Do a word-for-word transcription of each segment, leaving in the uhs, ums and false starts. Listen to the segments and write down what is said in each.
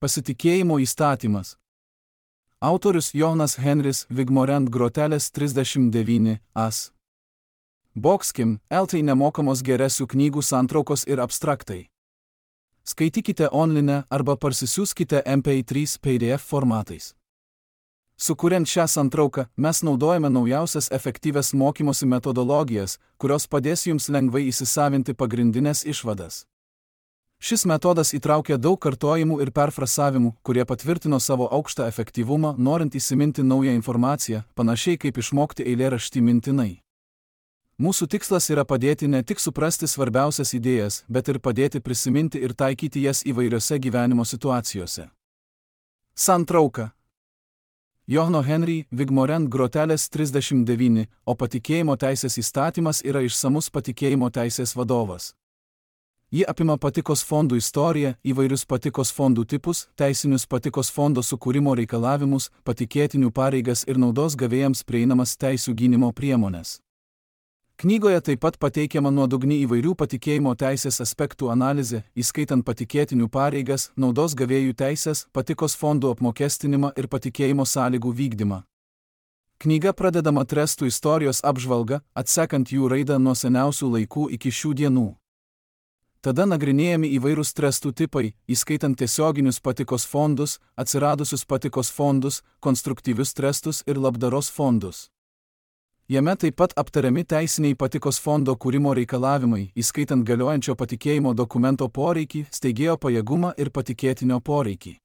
Pasitikėjimo įstatymas. Autorius Jonas Henris Vigmorant Grotelės trisdešimt devyni as. Boxkim, eltai nemokamos geresių knygų santraukos ir abstraktai. Skaitykite online arba parsisiųskite em pe trys pe de ef formatais. Sukuriant šią santrauką, mes naudojame naujausias efektyvias mokymosi metodologijas, kurios padės jums lengvai įsisavinti pagrindinės išvadas. Šis metodas įtraukia daug kartojimų ir perfrasavimų, kurie patvirtino savo aukštą efektyvumą, norint įsiminti naują informaciją, panašiai kaip išmokti eilėraštį mintinai. Mūsų tikslas yra padėti ne tik suprasti svarbiausias idėjas, bet ir padėti prisiminti ir taikyti jas įvairiose gyvenimo situacijose. Santrauka. Johno Henry Vigmorant Grotelės trisdešimt devyni, o patikėjimo teisės įstatymas yra išsamus patikėjimo teisės vadovas. Ji apima patikos fondų istoriją, įvairius patikos fondų tipus, teisinius patikos fondo sukūrimo reikalavimus, patikėtinių pareigas ir naudos gavėjams prieinamas teisių gynimo priemonės. Knygoje taip pat pateikiama nuodugni įvairių patikėjimo teisės aspektų analizė, įskaitant patikėtinių pareigas, naudos gavėjų teisės, patikos fondų apmokestinimą ir patikėjimo sąlygų vykdymą. Knyga pradedama trestų istorijos apžvalga, atsekant jų raidą nuo seniausių laikų iki šių dienų. Tada nagrinėjami įvairūs trestų tipai, įskaitant tiesioginius patikos fondus, atsiradusius patikos fondus, konstruktyvius trestus ir labdaros fondus. Jame taip pat aptariami teisiniai patikos fondo kūrimo reikalavimai, įskaitant galiojančio patikėjimo dokumento poreikį, steigėjo pajėgumą ir patikėtinio poreikį.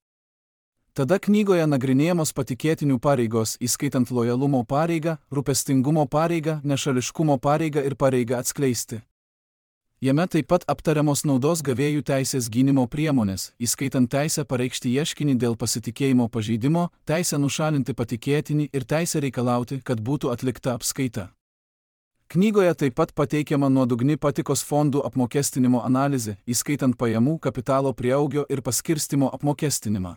Tada knygoje nagrinėjamos patikėtinių pareigos, įskaitant lojalumo pareigą, rūpestingumo pareigą, nešališkumo pareigą ir pareigą atskleisti. Jame taip pat aptariamos naudos gavėjų teisės gynimo priemonės, įskaitant teisę pareikšti ieškinį dėl pasitikėjimo pažeidimo, teisę nušalinti patikėtinį ir teisę reikalauti, kad būtų atlikta apskaita. Knygoje taip pat pateikiama nuodugni patikos fondų apmokestinimo analizė, įskaitant pajamų, kapitalo prieaugio ir paskirstimo apmokestinimą.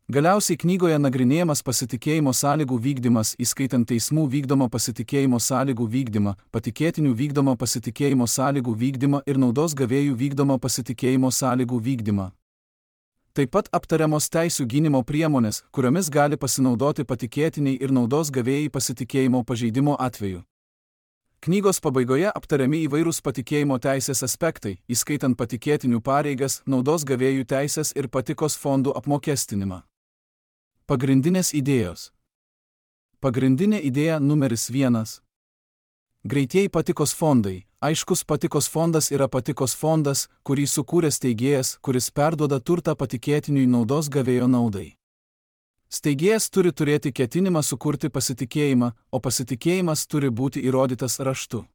Galiausiai knygoje nagrinėjamas pasitikėjimo sąlygų vykdymas, įskaitant teismų vykdomą pasitikėjimo sąlygų vykdymą, patikėtinių vykdomą pasitikėjimo sąlygų vykdymą ir naudos gavėjų vykdomą pasitikėjimo sąlygų vykdymą. Taip pat aptariamos teisių gynimo priemonės, kuriomis gali pasinaudoti patikėtiniai ir naudos gavėjai pasitikėjimo pažeidimo atveju. Knygos pabaigoje aptariami įvairūs patikėjimo teisės aspektai, įskaitant patikėtinių pareigas, naudos gavėjų teisės ir patikos fondų apmokestinimą. Pagrindinės idėjos. Pagrindinė idėja numeris vienas. Greitieji patikos fondai. Aiškus patikos fondas yra patikos fondas, kurį sukūrė steigėjas, kuris perduoda turtą patikėtiniui naudos gavėjo naudai. Steigėjas turi turėti ketinimą sukurti pasitikėjimą, o pasitikėjimas turi būti įrodytas raštu.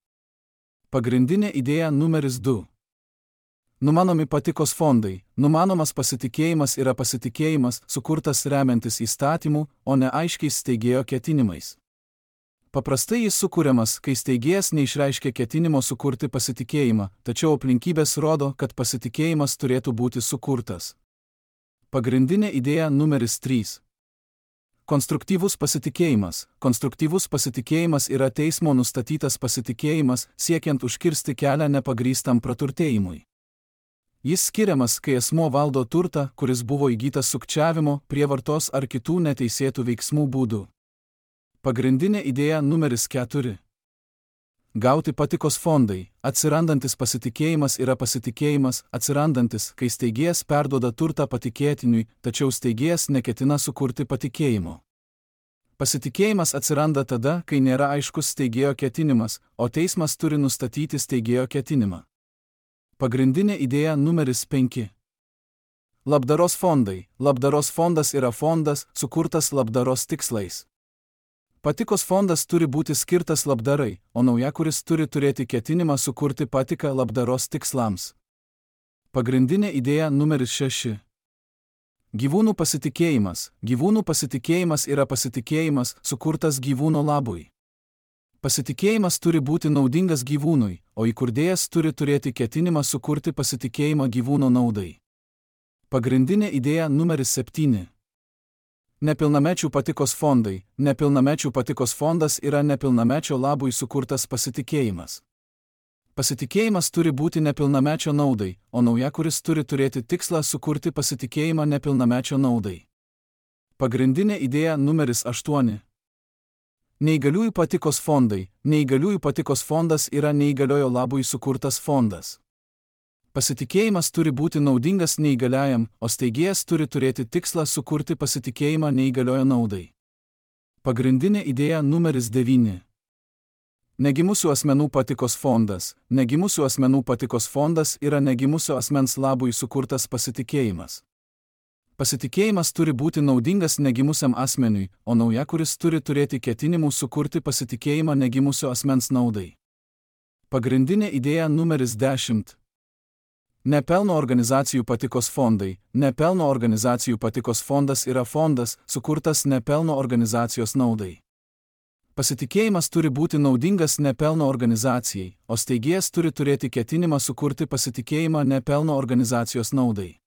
Pagrindinė idėja numeris du. Numanomi patikos fondai. Numanomas pasitikėjimas yra pasitikėjimas, sukurtas remiantis įstatymų, o ne aiškiais steigėjo ketinimais. Paprastai jis sukūriamas, kai steigėjas neišreiškia ketinimo sukurti pasitikėjimą, tačiau aplinkybės rodo, kad pasitikėjimas turėtų būti sukurtas. Pagrindinė idėja numeris trys. Konstruktyvus pasitikėjimas. Konstruktyvus pasitikėjimas yra teismo nustatytas pasitikėjimas, siekiant užkirsti kelią nepagrįstam praturtėjimui. Jis skiriamas, kai asmuo valdo turtą, kuris buvo įgytas sukčiavimo, prievartos ar kitų neteisėtų veiksmų būdų. Pagrindinė idėja numeris keturi. Gauti patikos fondai. Atsirandantis pasitikėjimas yra pasitikėjimas, atsirandantis, kai steigėjas perduoda turtą patikėtiniui, tačiau steigėjas neketina sukurti patikėjimo. Pasitikėjimas atsiranda tada, kai nėra aiškus steigėjo ketinimas, o teismas turi nustatyti steigėjo ketinimą. Pagrindinė idėja numeris penki. Labdaros fondai. Labdaros fondas yra fondas, sukurtas labdaros tikslais. Patikos fondas turi būti skirtas labdarai, o naujakuris turi turėti ketinimą sukurti patiką labdaros tikslams. Pagrindinė idėja numeris šeši. Gyvūnų pasitikėjimas. Gyvūnų pasitikėjimas yra pasitikėjimas, sukurtas gyvūno labui. Pasitikėjimas turi būti naudingas gyvūnui, o įkurdėjas turi turėti ketinimą sukurti pasitikėjimą gyvūno naudai. Pagrindinė idėja numeris septyni. Nepilnamečių patikos fondai. Nepilnamečių patikos fondas yra nepilnamečio labui sukurtas pasitikėjimas. Pasitikėjimas turi būti nepilnamečio naudai, o naujakuris turi turėti tikslą sukurti pasitikėjimą nepilnamečio naudai. Pagrindinė idėja numeris aštuoni. Neįgaliųjų patikos fondai. Neįgaliųjų patikos fondas yra neįgaliojo labui sukurtas fondas. Pasitikėjimas turi būti naudingas neįgaliajam, o steigėjas turi turėti tikslą sukurti pasitikėjimą neįgaliojo naudai. Pagrindinė idėja numeris devyni. Negimusių asmenų patikos fondas. Negimusių asmenų patikos fondas yra negimusio asmens labui sukurtas pasitikėjimas. Pasitikėjimas turi būti naudingas negimusiam asmeniui, o naujakuris turi turėti ketinimų sukurti pasitikėjimą negimusio asmens naudai. Pagrindinė idėja numeris dešimt. Nepelno organizacijų patikos fondai. Nepelno organizacijų patikos fondas yra fondas, sukurtas nepelno organizacijos naudai. Pasitikėjimas turi būti naudingas nepelno organizacijai, o steigėjas turi turėti ketinimą sukurti pasitikėjimą nepelno organizacijos naudai.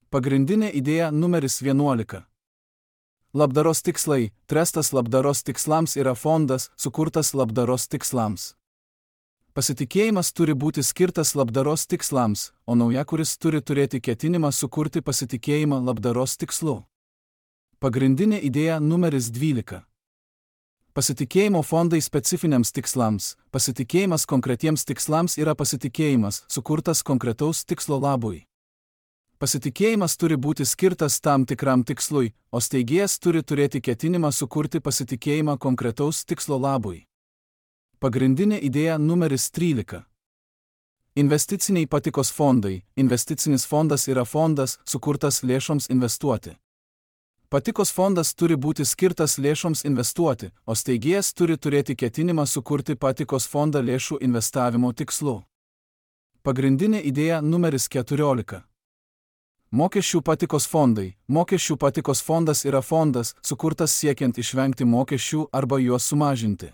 Pagrindinė idėja numeris vienuolika. Labdaros tikslai. Trestas labdaros tikslams yra fondas, sukurtas labdaros tikslams. Pasitikėjimas turi būti skirtas labdaros tikslams, o naujakuris turi turėti ketinimą sukurti pasitikėjimą labdaros tikslu. Pagrindinė idėja numeris dvylika. Pasitikėjimo fondai specifiniams tikslams. Pasitikėjimas konkretiems tikslams yra pasitikėjimas, sukurtas konkretaus tikslo labui. Pasitikėjimas turi būti skirtas tam tikram tikslui, o steigėjas turi turėti ketinimą sukurti pasitikėjimą konkretaus tikslo labui. Pagrindinė idėja numeris trylika. Investiciniai patikos fondai. Investicinis fondas yra fondas, sukurtas lėšoms investuoti. Patikos fondas turi būti skirtas lėšoms investuoti, o steigėjas turi turėti ketinimą sukurti patikos fondą lėšų investavimo tikslu. Pagrindinė idėja numeris keturiolika. Mokesčių patikos fondai. Mokesčių patikos fondas yra fondas, sukurtas siekiant išvengti mokesčių arba juos sumažinti.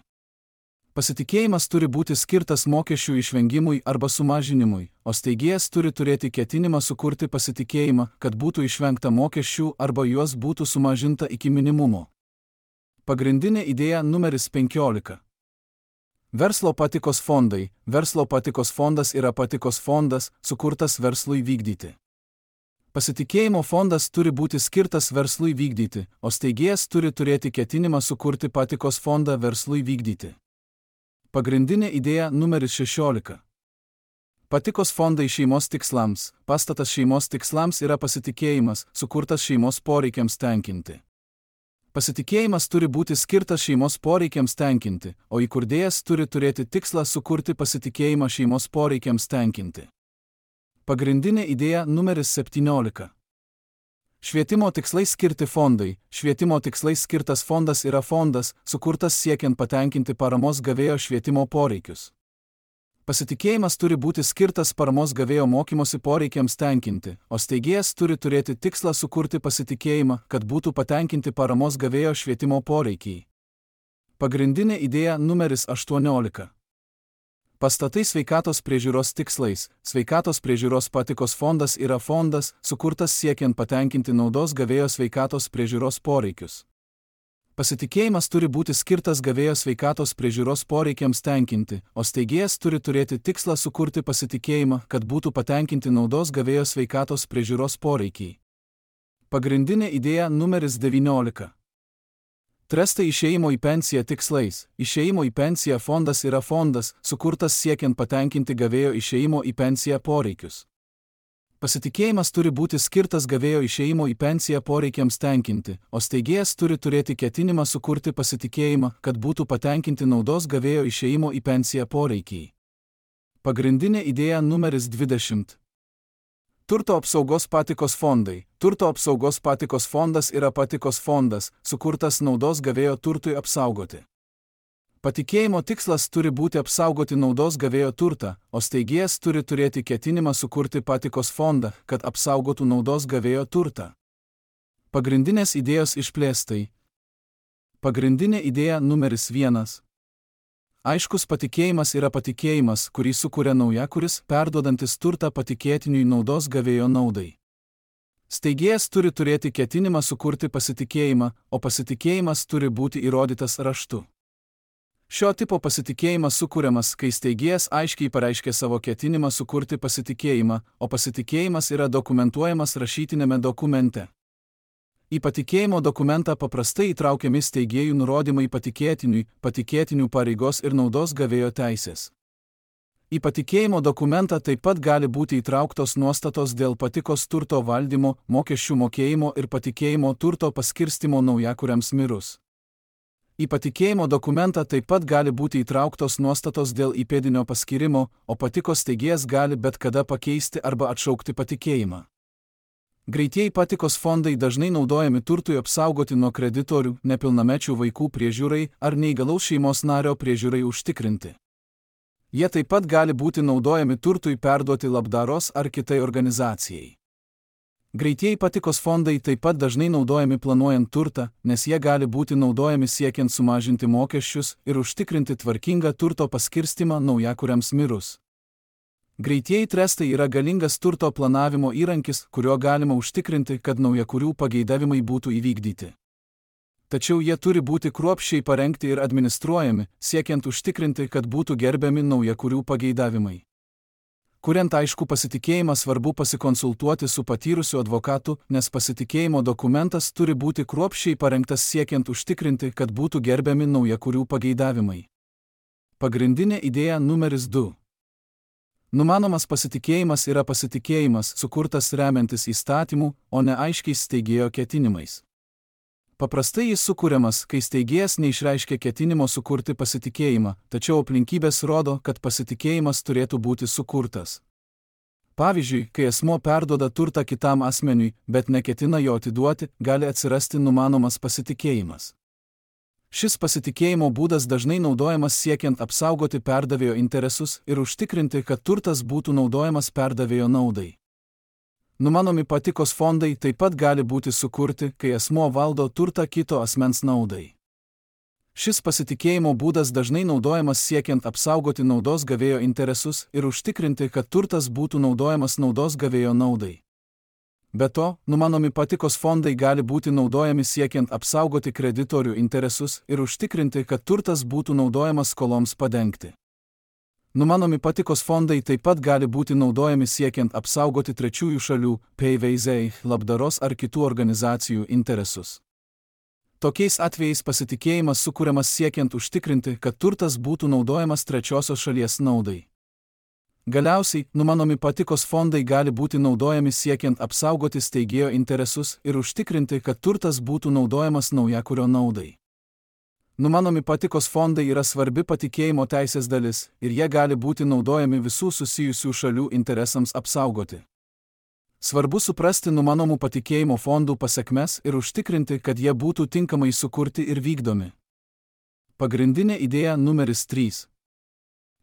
Pasitikėjimas turi būti skirtas mokesčių išvengimui arba sumažinimui, o steigėjas turi turėti ketinimą sukurti pasitikėjimą, kad būtų išvengta mokesčių arba juos būtų sumažinta iki minimumo. Pagrindinė idėja numeris penkiolika. Verslo patikos fondai. Verslo patikos fondas yra patikos fondas, sukurtas verslui vykdyti. Pasitikėjimo fondas turi būti skirtas verslui vykdyti, o steigėjas turi turėti ketinimą sukurti patikos fondą verslui vykdyti. Pagrindinė idėja numeris šešiolika. Patikos fondai šeimos tikslams. Pastatas šeimos tikslams yra pasitikėjimas, sukurtas šeimos poreikiams tenkinti. Pasitikėjimas turi būti skirtas šeimos poreikiams tenkinti, o įkurdėjas turi turėti tikslą sukurti pasitikėjimą šeimos poreikiams tenkinti. Pagrindinė idėja numeris septyniolika. Švietimo tikslai skirti fondai. Švietimo tikslai skirtas fondas yra fondas, sukurtas siekiant patenkinti paramos gavėjo švietimo poreikius. Pasitikėjimas turi būti skirtas paramos gavėjo mokymosi poreikiams tenkinti, o steigėjas turi turėti tikslą sukurti pasitikėjimą, kad būtų patenkinti paramos gavėjo švietimo poreikiai. Pagrindinė idėja numeris aštuoniolika. Pastatai sveikatos priežiūros tikslais. Sveikatos priežiūros patikos fondas yra fondas, sukurtas siekiant patenkinti naudos gavėjo sveikatos priežiūros poreikius. Pasitikėjimas turi būti skirtas gavėjo sveikatos priežiūros poreikiams tenkinti, o steigėjas turi turėti tikslą sukurti pasitikėjimą, kad būtų patenkinti naudos gavėjo sveikatos priežiūros poreikiai. Pagrindinė idėja numeris devyniolika. Trestai išėjimo į pensiją tikslais. Išėjimo į pensiją fondas yra fondas, sukurtas siekiant patenkinti gavėjo išėjimo į pensiją poreikius. Pasitikėjimas turi būti skirtas gavėjo išėjimo į pensiją poreikiams tenkinti, o steigėjas turi turėti ketinimą sukurti pasitikėjimą, kad būtų patenkinti naudos gavėjo išėjimo į pensiją poreikiai. Pagrindinė idėja numeris dvidešimt. Turto apsaugos patikos fondai. Turto apsaugos patikos fondas yra patikos fondas, sukurtas naudos gavėjo turtui apsaugoti. Patikėjimo tikslas turi būti apsaugoti naudos gavėjo turtą, o steigėjas turi turėti ketinimą sukurti patikos fondą, kad apsaugotų naudos gavėjo turtą. Pagrindinės idėjos išplėstai. Pagrindinė idėja numeris vienas. Aiškus patikėjimas yra patikėjimas, kurį sukuria naujakuris, perduodantis turtą patikėtiniui naudos gavėjo naudai. Steigėjas turi turėti ketinimą sukurti pasitikėjimą, o pasitikėjimas turi būti įrodytas raštu. Šio tipo pasitikėjimas sukūriamas, kai steigėjas aiškiai pareiškė savo ketinimą sukurti pasitikėjimą, o pasitikėjimas yra dokumentuojamas rašytinėme dokumente. Į patikėjimo dokumentą paprastai įtraukiami steigėjų nurodymai patikėtiniui, patikėtinių pareigos ir naudos gavėjo teisės. Į patikėjimo dokumentą taip pat gali būti įtrauktos nuostatos dėl patikos turto valdymo, mokesčių mokėjimo ir patikėjimo turto paskirstimo naujakuriams mirus. Į patikėjimo dokumentą taip pat gali būti įtrauktos nuostatos dėl įpėdinio paskyrimo, o patikos steigėjas gali bet kada pakeisti arba atšaukti patikėjimą. Greitieji patikos fondai dažnai naudojami turtui apsaugoti nuo kreditorių, nepilnamečių vaikų priežiūrai ar neįgalaus šeimos nario priežiūrai užtikrinti. Jie taip pat gali būti naudojami turtui perduoti labdaros ar kitai organizacijai. Greitieji patikos fondai taip pat dažnai naudojami planuojant turtą, nes jie gali būti naudojami siekiant sumažinti mokesčius ir užtikrinti tvarkingą turto paskirstimą naujakuriams mirus. Greitieji trestai yra galingas turto planavimo įrankis, kuriuo galima užtikrinti, kad naujakurių pageidavimai būtų įvykdyti. Tačiau jie turi būti kruopščiai parengti ir administruojami, siekiant užtikrinti, kad būtų gerbiami naujakurių pageidavimai. Kuriant aišku pasitikėjimą, svarbu pasikonsultuoti su patyrusiu advokatu, nes pasitikėjimo dokumentas turi būti kruopščiai parengtas siekiant užtikrinti, kad būtų gerbiami naujakurių pageidavimai. Pagrindinė idėja numeris du. Numanomas pasitikėjimas yra pasitikėjimas, sukurtas remiantis įstatymų, o ne aiškiais steigėjo ketinimais. Paprastai jis sukūriamas, kai steigėjas neišreiškia ketinimo sukurti pasitikėjimą, tačiau aplinkybės rodo, kad pasitikėjimas turėtų būti sukurtas. Pavyzdžiui, kai asmuo perduoda turtą kitam asmeniui, bet neketina jo atiduoti, gali atsirasti numanomas pasitikėjimas. Šis pasitikėjimo būdas dažnai naudojamas siekiant apsaugoti perdavėjo interesus ir užtikrinti, kad turtas būtų naudojamas perdavėjo naudai. Numanomi patikos fondai taip pat gali būti sukurti, kai asmuo valdo turtą kito asmens naudai. Šis pasitikėjimo būdas dažnai naudojamas siekiant apsaugoti naudos gavėjo interesus ir užtikrinti, kad turtas būtų naudojamas naudos gavėjo naudai. Be to, numanomi patikos fondai gali būti naudojami siekiant apsaugoti kreditorių interesus ir užtikrinti, kad turtas būtų naudojamas skoloms padengti. Numanomi patikos fondai taip pat gali būti naudojami siekiant apsaugoti trečiųjų šalių, P V Z, labdaros ar kitų organizacijų interesus. Tokiais atvejais pasitikėjimas sukūriamas siekiant užtikrinti, kad turtas būtų naudojamas trečiosios šalies naudai. Galiausiai, numanomi patikos fondai gali būti naudojami siekiant apsaugoti steigėjo interesus ir užtikrinti, kad turtas būtų naudojamas naujakurio naudai. Numanomi patikos fondai yra svarbi patikėjimo teisės dalis ir jie gali būti naudojami visų susijusių šalių interesams apsaugoti. Svarbu suprasti numanomų patikėjimo fondų pasekmes ir užtikrinti, kad jie būtų tinkamai sukurti ir vykdomi. Pagrindinė idėja numeris trys.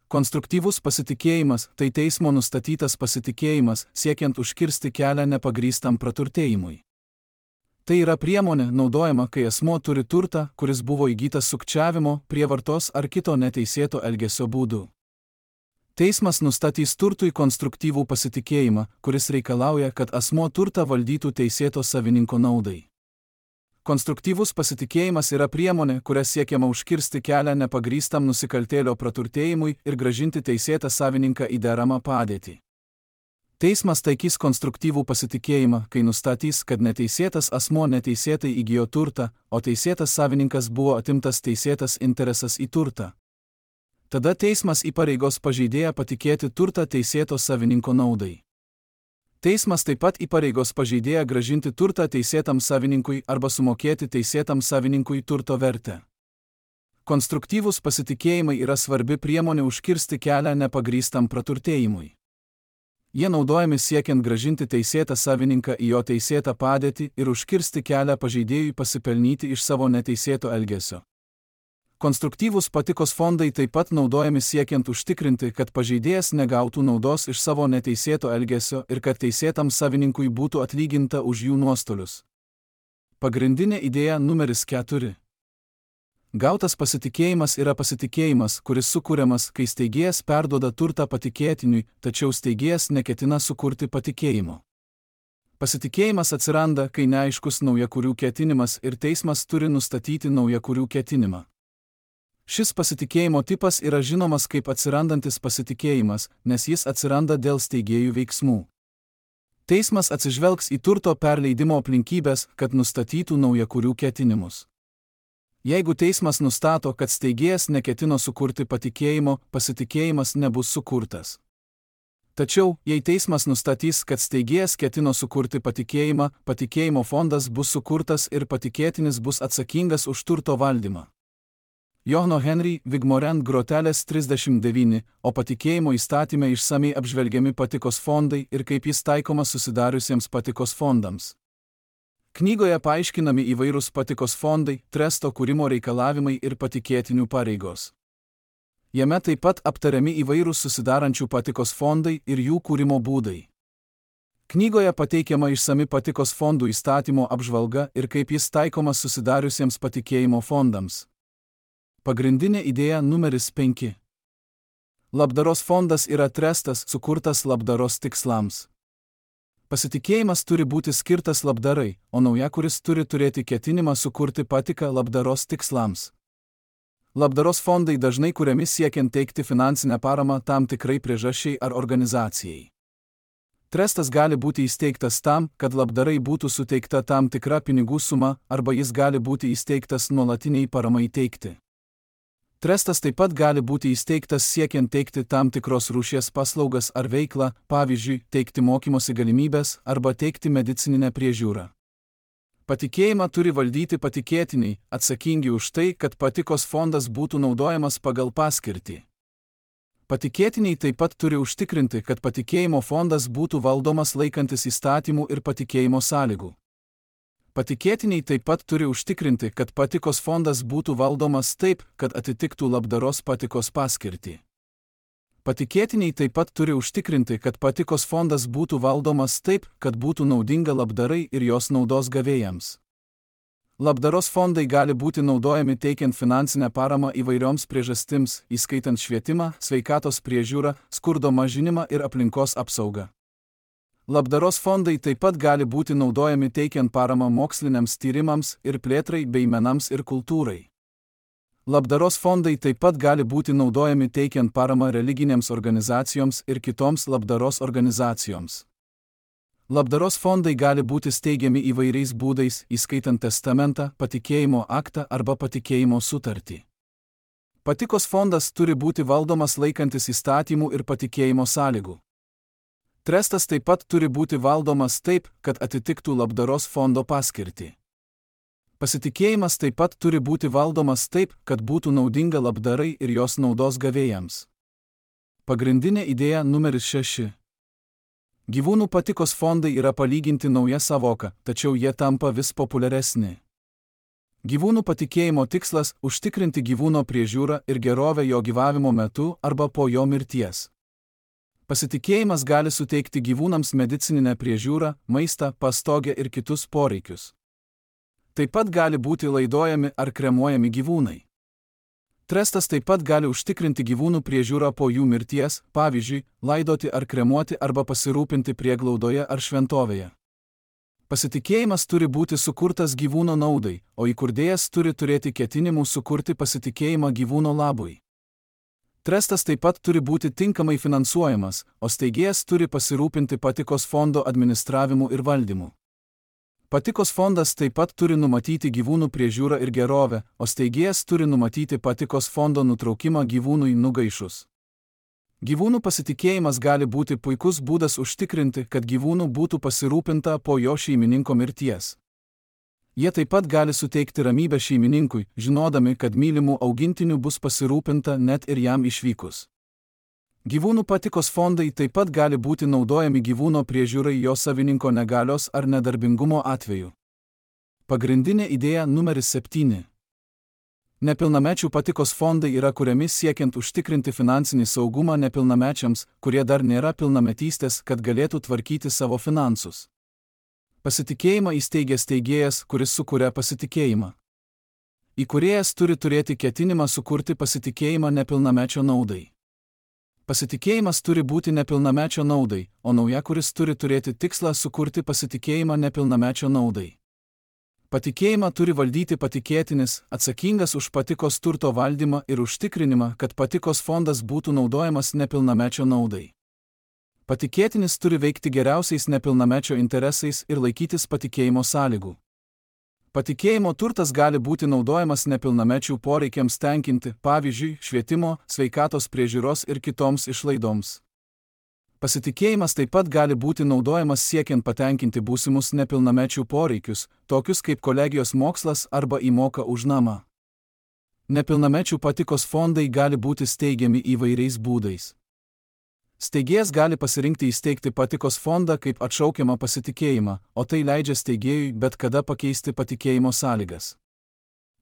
Konstruktyvus pasitikėjimas – tai teismo nustatytas pasitikėjimas, siekiant užkirsti kelią nepagrįstam praturtėjimui. Tai yra priemonė naudojama, kai asmuo turi turtą, kuris buvo įgytas sukčiavimo, prievartos ar kito neteisėto elgesio būdu. Teismas nustatys turtui konstruktyvų pasitikėjimą, kuris reikalauja, kad asmuo turtą valdytų teisėto savininko naudai. Konstruktyvus pasitikėjimas yra priemonė, kuria siekiama užkirsti kelią nepagrįstam nusikaltėlio praturtėjimui ir grąžinti teisėtą savininką į deramą padėtį. Teismas taikys konstruktyvų pasitikėjimą, kai nustatys, kad neteisėtas asmuo neteisėtai įgijo turtą, o teisėtas savininkas buvo atimtas teisėtas interesas į turtą. Tada teismas įpareigos pažeidėją patikėti turtą teisėto savininko naudai. Teismas taip pat įpareigos pažeidėją grąžinti turtą teisėtam savininkui arba sumokėti teisėtam savininkui turto vertę. Konstruktyvūs pasitikėjimai yra svarbi priemonė užkirsti kelią nepagrįstam praturtėjimui. Jie naudojami siekiant grąžinti teisėtą savininką į jo teisėtą padėtį ir užkirsti kelią pažeidėjui pasipelnyti iš savo neteisėto elgesio. Konstruktyvūs patikos fondai taip pat naudojami siekiant užtikrinti, kad pažeidėjas negautų naudos iš savo neteisėto elgesio ir kad teisėtam savininkui būtų atlyginta už jų nuostolius. Pagrindinė idėja numeris keturi. Gautas pasitikėjimas yra pasitikėjimas, kuris sukūriamas, kai steigėjas perduoda turtą patikėtiniui, tačiau steigėjas neketina sukurti patikėjimo. Pasitikėjimas atsiranda, kai neaiškus naujakurių ketinimas ir teismas turi nustatyti naujakurių ketinimą. Šis pasitikėjimo tipas yra žinomas kaip atsirandantis pasitikėjimas, nes jis atsiranda dėl steigėjų veiksmų. Teismas atsižvelgs į turto perleidimo aplinkybės, kad nustatytų naujakurių ketinimus. Jeigu teismas nustato, kad steigėjas neketino sukurti patikėjimo, pasitikėjimas nebus sukurtas. Tačiau, jei teismas nustatys, kad steigėjas ketino sukurti patikėjimą, patikėjimo fondas bus sukurtas ir patikėtinis bus atsakingas už turto valdymą. Johno Henry Vigmorend grotelės trisdešimt devyni, o patikėjimo įstatyme išsamiai apžvelgiami patikos fondai ir kaip jis taikomas susidariusiems patikos fondams. Knygoje paaiškinami įvairūs patikos fondai, tresto kūrimo reikalavimai ir patikėtinių pareigos. Jame taip pat aptariami įvairūs susidarančių patikos fondai ir jų kūrimo būdai. Knygoje pateikiama išsami patikos fondų įstatymo apžvalga ir kaip jis taikomas susidariusiems patikėjimo fondams. Pagrindinė idėja numeris penki. Labdaros fondas yra trestas, sukurtas labdaros tikslams. Pasitikėjimas turi būti skirtas labdarai, o naujakuris turi turėti ketinimą sukurti patiką labdaros tikslams. Labdaros fondai dažnai kuriami siekiant teikti finansinę paramą tam tikrai priežasčiai ar organizacijai. Trestas gali būti įsteigtas tam, kad labdarai būtų suteikta tam tikra pinigų suma, arba jis gali būti įsteigtas nuolatiniai paramai teikti. Trestas taip pat gali būti įsteigtas siekiant teikti tam tikros rūšies paslaugas ar veiklą, pavyzdžiui, teikti mokymosi galimybės arba teikti medicininę priežiūrą. Patikėjimą turi valdyti patikėtiniai, atsakingi už tai, kad patikos fondas būtų naudojamas pagal paskirtį. Patikėtiniai taip pat turi užtikrinti, kad patikėjimo fondas būtų valdomas laikantis įstatymų ir patikėjimo sąlygų. Patikėtiniai taip pat turi užtikrinti, kad patikos fondas būtų valdomas taip, kad atitiktų labdaros patikos paskirtį. Patikėtiniai taip pat turi užtikrinti, kad patikos fondas būtų valdomas taip, kad būtų naudinga labdarai ir jos naudos gavėjams. Labdaros fondai gali būti naudojami teikiant finansinę paramą įvairioms priežastims, įskaitant švietimą, sveikatos priežiūrą, skurdo mažinimą ir aplinkos apsaugą. Labdaros fondai taip pat gali būti naudojami teikiant paramą moksliniams tyrimams ir plėtrai bei menams ir kultūrai. Labdaros fondai taip pat gali būti naudojami teikiant paramą religinėms organizacijoms ir kitoms labdaros organizacijoms. Labdaros fondai gali būti steigiami įvairiais būdais, įskaitant testamentą, patikėjimo aktą arba patikėjimo sutartį. Patikos fondas turi būti valdomas laikantis įstatymų ir patikėjimo sąlygų. Trestas taip pat turi būti valdomas taip, kad atitiktų labdaros fondo paskirtį. Pasitikėjimas taip pat turi būti valdomas taip, kad būtų naudinga labdarai ir jos naudos gavėjams. Pagrindinė idėja numeris šeši. Gyvūnų patikos fondai yra palyginti nauja savoka, tačiau jie tampa vis populiaresni. Gyvūnų patikėjimo tikslas – užtikrinti gyvūno priežiūrą ir gerovę jo gyvavimo metu arba po jo mirties. Pasitikėjimas gali suteikti gyvūnams medicininę priežiūrą, maistą, pastogę ir kitus poreikius. Taip pat gali būti laidojami ar kremuojami gyvūnai. Trestas taip pat gali užtikrinti gyvūnų priežiūrą po jų mirties, pavyzdžiui, laidoti ar kremuoti arba pasirūpinti prieglaudoje ar šventovėje. Pasitikėjimas turi būti sukurtas gyvūno naudai, o įkurdėjas turi turėti ketinimų sukurti pasitikėjimą gyvūno labui. Trestas taip pat turi būti tinkamai finansuojamas, o steigėjas turi pasirūpinti patikos fondo administravimu ir valdymu. Patikos fondas taip pat turi numatyti gyvūnų priežiūrą ir gerovę, o steigėjas turi numatyti patikos fondo nutraukimą gyvūnui nugaišus. Gyvūnų pasitikėjimas gali būti puikus būdas užtikrinti, kad gyvūnų būtų pasirūpinta po jo šeimininko mirties. Jie taip pat gali suteikti ramybę šeimininkui, žinodami, kad mylimų augintinių bus pasirūpinta net ir jam išvykus. Gyvūnų patikos fondai taip pat gali būti naudojami gyvūno priežiūrai jo savininko negalios ar nedarbingumo atveju. Pagrindinė idėja numeris septyni. Nepilnamečių patikos fondai yra kuriami siekiant užtikrinti finansinį saugumą nepilnamečiams, kurie dar nėra pilnametystės, kad galėtų tvarkyti savo finansus. Pasitikėjimą įsteigia steigėjas, kuris sukuria pasitikėjimą. Įkūrėjas turi turėti ketinimą sukurti pasitikėjimą nepilnamečio naudai. Pasitikėjimas turi būti nepilnamečio naudai, o naujakuris turi turėti tikslą sukurti pasitikėjimą nepilnamečio naudai. Patikėjimą turi valdyti patikėtinis, atsakingas už patikos turto valdymą ir užtikrinimą, kad patikos fondas būtų naudojamas nepilnamečio naudai. Patikėtinis turi veikti geriausiais nepilnamečio interesais ir laikytis patikėjimo sąlygų. Patikėjimo turtas gali būti naudojamas nepilnamečių poreikiams tenkinti, pavyzdžiui, švietimo, sveikatos priežiūros ir kitoms išlaidoms. Pasitikėjimas taip pat gali būti naudojamas siekiant patenkinti būsimus nepilnamečių poreikius, tokius kaip kolegijos mokslas arba įmoka už namą. Nepilnamečių patikos fondai gali būti steigiami įvairiais būdais. Steigėjas gali pasirinkti įsteigti patikos fondą kaip atšaukiamą pasitikėjimą, o tai leidžia steigėjui bet kada pakeisti patikėjimo sąlygas.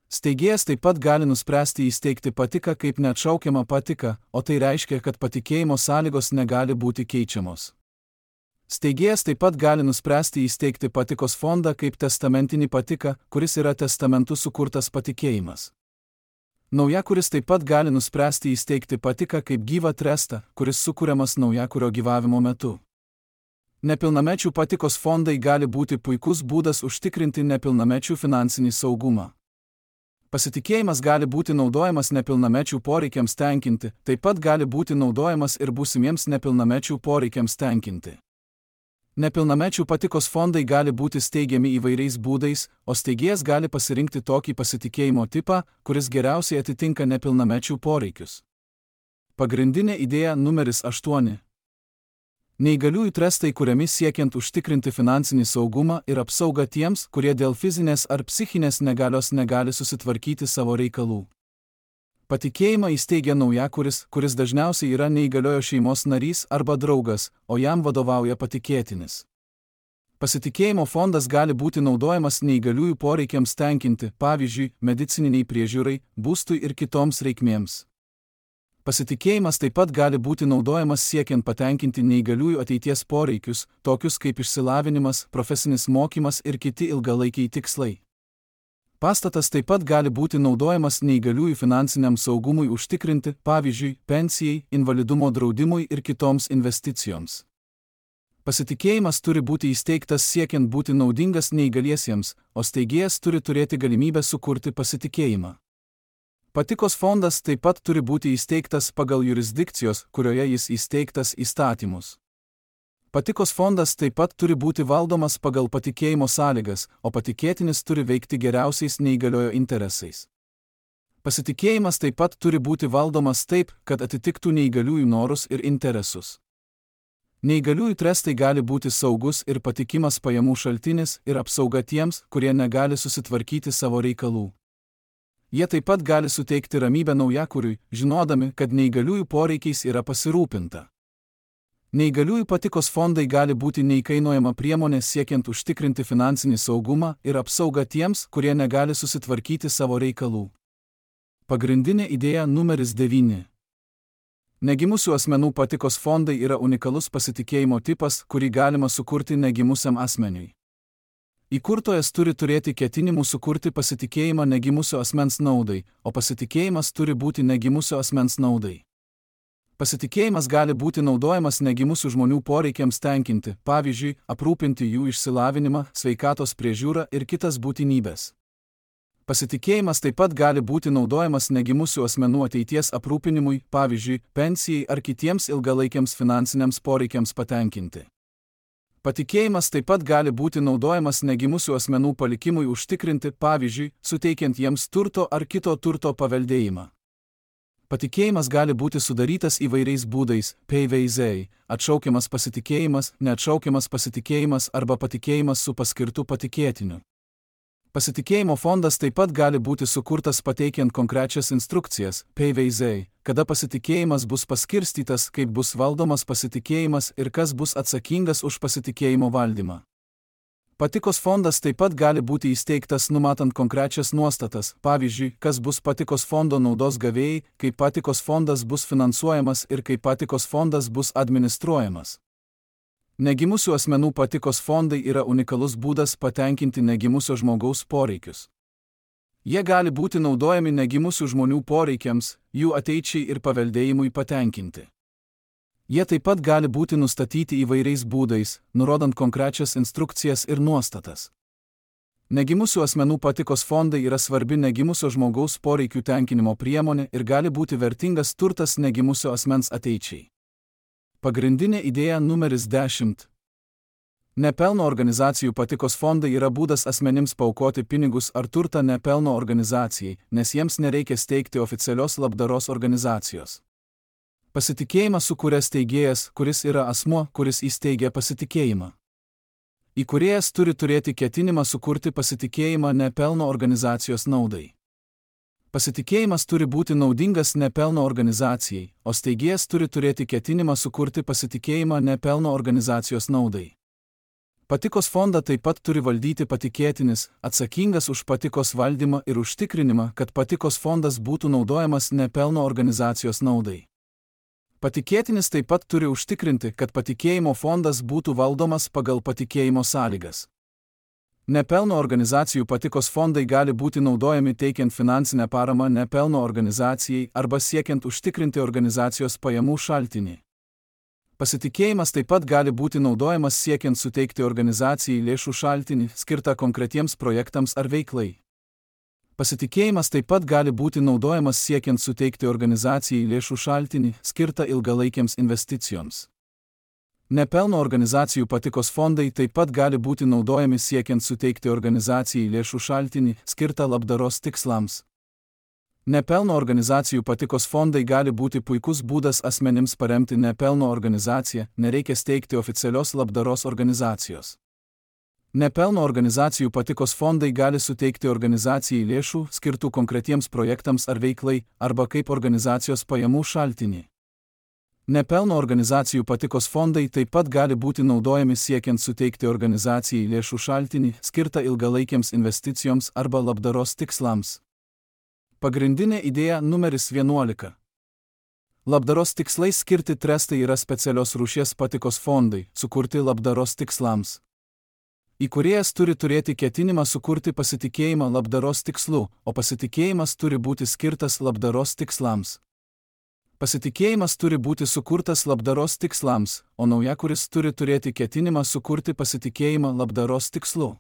Steigėjas taip pat gali nuspręsti įsteigti patiką kaip neatšaukiamą patiką, o tai reiškia, kad patikėjimo sąlygos negali būti keičiamos. Steigėjas taip pat gali nuspręsti įsteigti patikos fondą kaip testamentinį patiką, kuris yra testamentu sukurtas patikėjimas. Naujakuris taip pat gali nuspręsti įsteigti patiką kaip gyvą trestą, kuris sukuriamas naujakurio gyvavimo metu. Nepilnamečių patikos fondai gali būti puikus būdas užtikrinti nepilnamečių finansinį saugumą. Pasitikėjimas gali būti naudojamas nepilnamečių poreikiams tenkinti, taip pat gali būti naudojamas ir būsimiems nepilnamečių poreikiams tenkinti. Nepilnamečių patikos fondai gali būti steigiami įvairiais būdais, o steigėjas gali pasirinkti tokį pasitikėjimo tipą, kuris geriausiai atitinka nepilnamečių poreikius. Pagrindinė idėja numeris aštuoni. Neįgaliųjų trestai kuriami siekiant užtikrinti finansinį saugumą ir apsaugą tiems, kurie dėl fizinės ar psichinės negalios negali susitvarkyti savo reikalų. Patikėjimą įsteigia naujakuris, kuris dažniausiai yra neįgaliojo šeimos narys arba draugas, o jam vadovauja patikėtinis. Pasitikėjimo fondas gali būti naudojamas neįgaliųjų poreikiams tenkinti, pavyzdžiui, medicininiai priežiūrai, būstui ir kitoms reikmėms. Pasitikėjimas taip pat gali būti naudojamas siekiant patenkinti neįgaliųjų ateities poreikius, tokius kaip išsilavinimas, profesinis mokymas ir kiti ilgalaikiai tikslai. Pastatas taip pat gali būti naudojamas neįgaliųjų finansiniam saugumui užtikrinti, pavyzdžiui, pensijai, invalidumo draudimui ir kitoms investicijoms. Pasitikėjimas turi būti įsteigtas siekiant būti naudingas neįgaliesiems, o steigėjas turi turėti galimybę sukurti pasitikėjimą. Patikos fondas taip pat turi būti įsteigtas pagal jurisdikcijos, kurioje jis įsteigtas įstatymus. Patikos fondas taip pat turi būti valdomas pagal patikėjimo sąlygas, o patikėtinis turi veikti geriausiais neįgaliojo interesais. Pasitikėjimas taip pat turi būti valdomas taip, kad atitiktų neįgaliųjų norus ir interesus. Neįgaliųjų trestai gali būti saugus ir patikimas pajamų šaltinis ir apsauga tiems, kurie negali susitvarkyti savo reikalų. Jie taip pat gali suteikti ramybę naujakuriui, žinodami, kad neįgaliųjų poreikiais yra pasirūpinta. Neįgaliųjų patikos fondai gali būti neįkainojama priemonė siekiant užtikrinti finansinį saugumą ir apsaugą tiems, kurie negali susitvarkyti savo reikalų. Pagrindinė idėja numeris devyni. Negimusių asmenų patikos fondai yra unikalus pasitikėjimo tipas, kurį galima sukurti negimusiam asmeniui. Įkurtojas turi turėti ketinimų sukurti pasitikėjimą negimusio asmens naudai, o pasitikėjimas turi būti negimusio asmens naudai. Pasitikėjimas gali būti naudojamas negimusių žmonių poreikiams tenkinti, pavyzdžiui, aprūpinti jų išsilavinimą, sveikatos priežiūrą ir kitas būtinybės. Pasitikėjimas taip pat gali būti naudojamas negimusių asmenų ateities aprūpinimui, pavyzdžiui, pensijai ar kitiems ilgalaikiams finansiniams poreikiams patenkinti. Patikėjimas taip pat gali būti naudojamas negimusių asmenų palikimui užtikrinti, pavyzdžiui, suteikiant jiems turto ar kito turto paveldėjimą. Patikėjimas gali būti sudarytas įvairiais būdais, pavyzdžiui, atšaukiamas pasitikėjimas, neatšaukiamas pasitikėjimas arba patikėjimas su paskirtu patikėtiniu. Pasitikėjimo fondas taip pat gali būti sukurtas pateikiant konkrečias instrukcijas, pavyzdžiui, kada pasitikėjimas bus paskirstytas, kaip bus valdomas pasitikėjimas ir kas bus atsakingas už pasitikėjimo valdymą. Patikos fondas taip pat gali būti įsteigtas numatant konkrečias nuostatas, pavyzdžiui, kas bus patikos fondo naudos gavėjai, kaip patikos fondas bus finansuojamas ir kaip patikos fondas bus administruojamas. Negimusių asmenų patikos fondai yra unikalus būdas patenkinti negimusio žmogaus poreikius. Jie gali būti naudojami negimusių žmonių poreikiams, jų ateičiai ir paveldėjimui patenkinti. Jie taip pat gali būti nustatyti įvairiais būdais, nurodant konkrečias instrukcijas ir nuostatas. Negimusių asmenų patikos fondai yra svarbi negimusio žmogaus poreikių tenkinimo priemonė ir gali būti vertingas turtas negimusio asmens ateičiai. Pagrindinė idėja numeris dešimt. Nepelno organizacijų patikos fondai yra būdas asmenims paaukoti pinigus ar turtą nepelno organizacijai, nes jiems nereikia steigti oficialios labdaros organizacijos. Pasitikėjimą sukuria steigėjas, kuris yra asmuo, kuris įsteigia pasitikėjimą. Įkūrėjas turi turėti ketinimą sukurti pasitikėjimą nepelno organizacijos naudai. Pasitikėjimas turi būti naudingas nepelno organizacijai, o steigėjas turi turėti ketinimą sukurti pasitikėjimą nepelno organizacijos naudai. Patikos fondą taip pat turi valdyti patikėtinis, atsakingas už patikos valdymą ir užtikrinimą, kad patikos fondas būtų naudojamas nepelno organizacijos naudai. Patikėtinis taip pat turi užtikrinti, kad patikėjimo fondas būtų valdomas pagal patikėjimo sąlygas. Nepelno organizacijų patikos fondai gali būti naudojami teikiant finansinę paramą nepelno organizacijai arba siekiant užtikrinti organizacijos pajamų šaltinį. Pasitikėjimas taip pat gali būti naudojamas siekiant suteikti organizacijai lėšų šaltinį, skirtą konkretiems projektams ar veiklai. Pasitikėjimas taip pat gali būti naudojamas siekiant suteikti organizacijai lėšų šaltinį, skirtą ilgalaikiams investicijoms. Nepelno organizacijų patikos fondai taip pat gali būti naudojami siekiant suteikti organizacijai lėšų šaltinį, skirtą labdaros tikslams. Nepelno organizacijų patikos fondai gali būti puikus būdas asmenims paremti nepelno organizaciją, nereikia steigti oficialios labdaros organizacijos. Nepelno organizacijų patikos fondai gali suteikti organizacijai lėšų, skirtų konkretiems projektams ar veiklai, arba kaip organizacijos pajamų šaltinį. Nepelno organizacijų patikos fondai taip pat gali būti naudojami siekiant suteikti organizacijai lėšų šaltinį, skirtą ilgalaikiams investicijoms arba labdaros tikslams. Pagrindinė idėja numeris vienuolika. Labdaros tikslais skirti trestai yra specialios rūšies patikos fondai, sukurti labdaros tikslams. Įkūrėjas turi turėti ketinimą sukurti pasitikėjimą labdaros tikslu, o pasitikėjimas turi būti skirtas labdaros tikslams. Pasitikėjimas turi būti sukurtas labdaros tikslams, o naujakuris turi turėti ketinimą sukurti pasitikėjimą labdaros tikslu.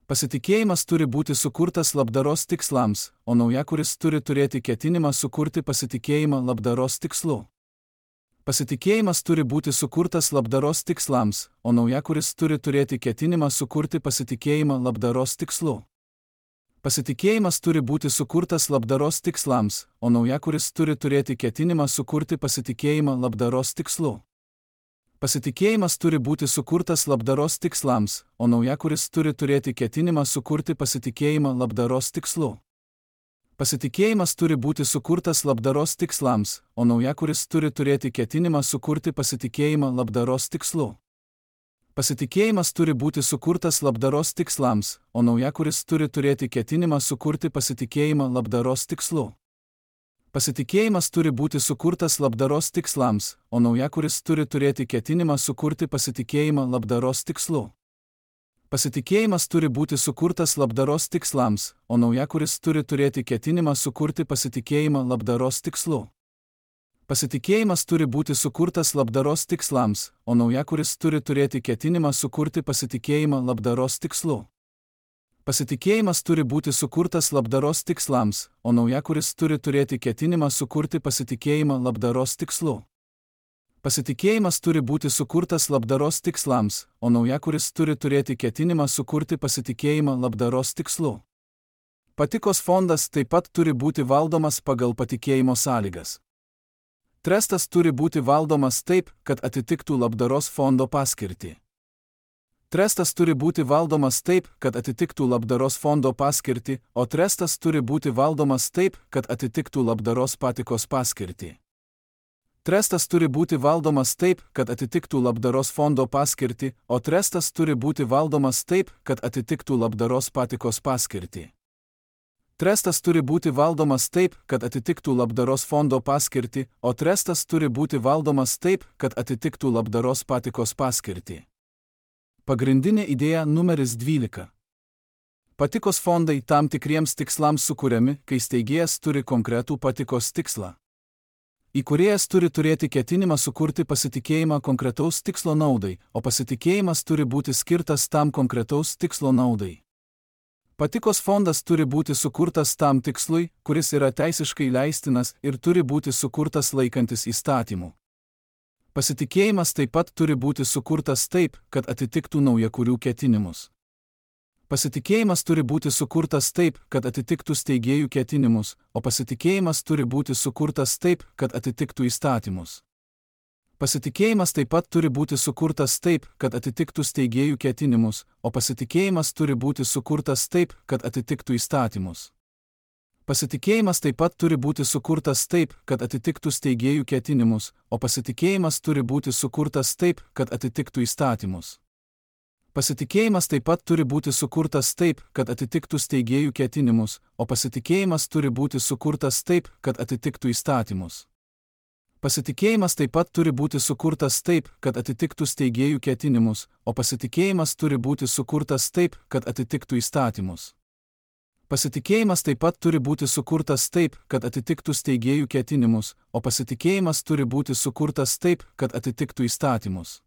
Pasitikėjimas turi būti sukurtas labdaros tikslams, o naujakuris turi turėti ketinimą sukurti pasitikėjimą labdaros tikslu. Pasitikėjimas turi būti sukurtas labdaros tikslams, o naujakuris turi turėti ketinimą sukurti pasitikėjimą labdaros tikslu. Pasitikėjimas turi būti sukurtas labdaros tikslams, o naujakuris turi turėti ketinimą sukurti pasitikėjimą labdaros tikslu. Pasitikėjimas turi būti sukurtas labdaros tikslams, o naujakuris turi turėti ketinimą sukurti pasitikėjimą labdaros tikslu. Pasitikėjimas turi būti sukurtas labdaros tikslams, o naujakuris turi turėti ketinimą sukurti pasitikėjimą labdaros tikslu. Pasitikėjimas turi būti sukurtas labdaros tikslams, o naujakuris turi turėti ketinimą sukurti pasitikėjimą labdaros tikslu. Pasitikėjimas turi būti sukurtas labdaros tikslams, o naujakuris turi turėti ketinimą sukurti pasitikėjimą labdaros tikslu. Pasitikėjimas turi būti sukurtas labdaros tikslams, o naujakuris turi turėti ketinimą sukurti pasitikėjimą labdaros tikslu. Pasitikėjimas turi būti sukurtas labdaros tikslams, o naujakuris turi turėti ketinimą sukurti pasitikėjimą labdaros tikslu. Pasitikėjimas turi būti sukurtas labdaros tikslams, o naujakuris turi turėti ketinimą sukurti pasitikėjimą labdaros tikslu. Pasitikėjimas turi būti sukurtas labdaros tikslams, o naujakuris turi turėti ketinimą sukurti pasitikėjimą labdaros tikslu. Patikos fondas taip pat turi būti valdomas pagal patikėjimo sąlygas. Trestas turi būti valdomas taip, kad atitiktų labdaros fondo paskirtį. Trestas turi būti valdomas taip, kad atitiktų labdaros fondo paskirtį, o trestas turi būti valdomas taip, kad atitiktų labdaros patikos paskirtį. Trestas turi būti valdomas taip, kad atitiktų labdaros fondo paskirtį, o trestas turi būti valdomas taip, kad atitiktų labdaros patikos paskirtį. Trestas turi būti valdomas taip, kad atitiktų labdaros fondo paskirtį, o trestas turi būti valdomas taip, kad atitiktų labdaros patikos paskirtį. Pagrindinė idėja numeris dvylika. Patikos fondai tam tikriems tikslams sukuriami, kai steigėjas turi konkretų patikos tikslą. Įkūrėjas turi turėti ketinimą sukurti pasitikėjimą konkretaus tikslo naudai, o pasitikėjimas turi būti skirtas tam konkretaus tikslo naudai. Patikos fondas turi būti sukurtas tam tikslui, kuris yra teisiškai leistinas ir turi būti sukurtas laikantis įstatymų. Pasitikėjimas taip pat turi būti sukurtas taip, kad atitiktų naujakurių ketinimus. Pasitikėjimas turi būti sukurtas taip, kad atitiktų steigėjų ketinimus, o pasitikėjimas turi būti sukurtas taip, kad atitiktų įstatymus. Pasitikėjimas taip pat turi būti sukurtas taip, kad atitiktų steigėjų ketinimus, o pasitikėjimas turi būti sukurtas taip, kad atitiktų įstatymus. Pasitikėjimas taip pat turi būti sukurtas taip, kad atitiktų steigėjų ketinimus, o pasitikėjimas turi būti sukurtas taip, kad atitiktų įstatymus. Pasitikėjimas taip pat turi būti sukurtas taip, kad atitiktų steigėjų ketinimus, o pasitikėjimas turi būti sukurtas taip, kad atitiktų įstatymus. Pasitikėjimas taip pat turi būti sukurtas taip, kad atitiktų steigėjų ketinimus, o pasitikėjimas turi būti sukurtas taip, kad atitiktų įstatymus. Pasitikėjimas taip pat turi būti sukurtas taip, kad atitiktų steigėjų ketinimus, o pasitikėjimas turi būti sukurtas taip, kad atitiktų įstatymus.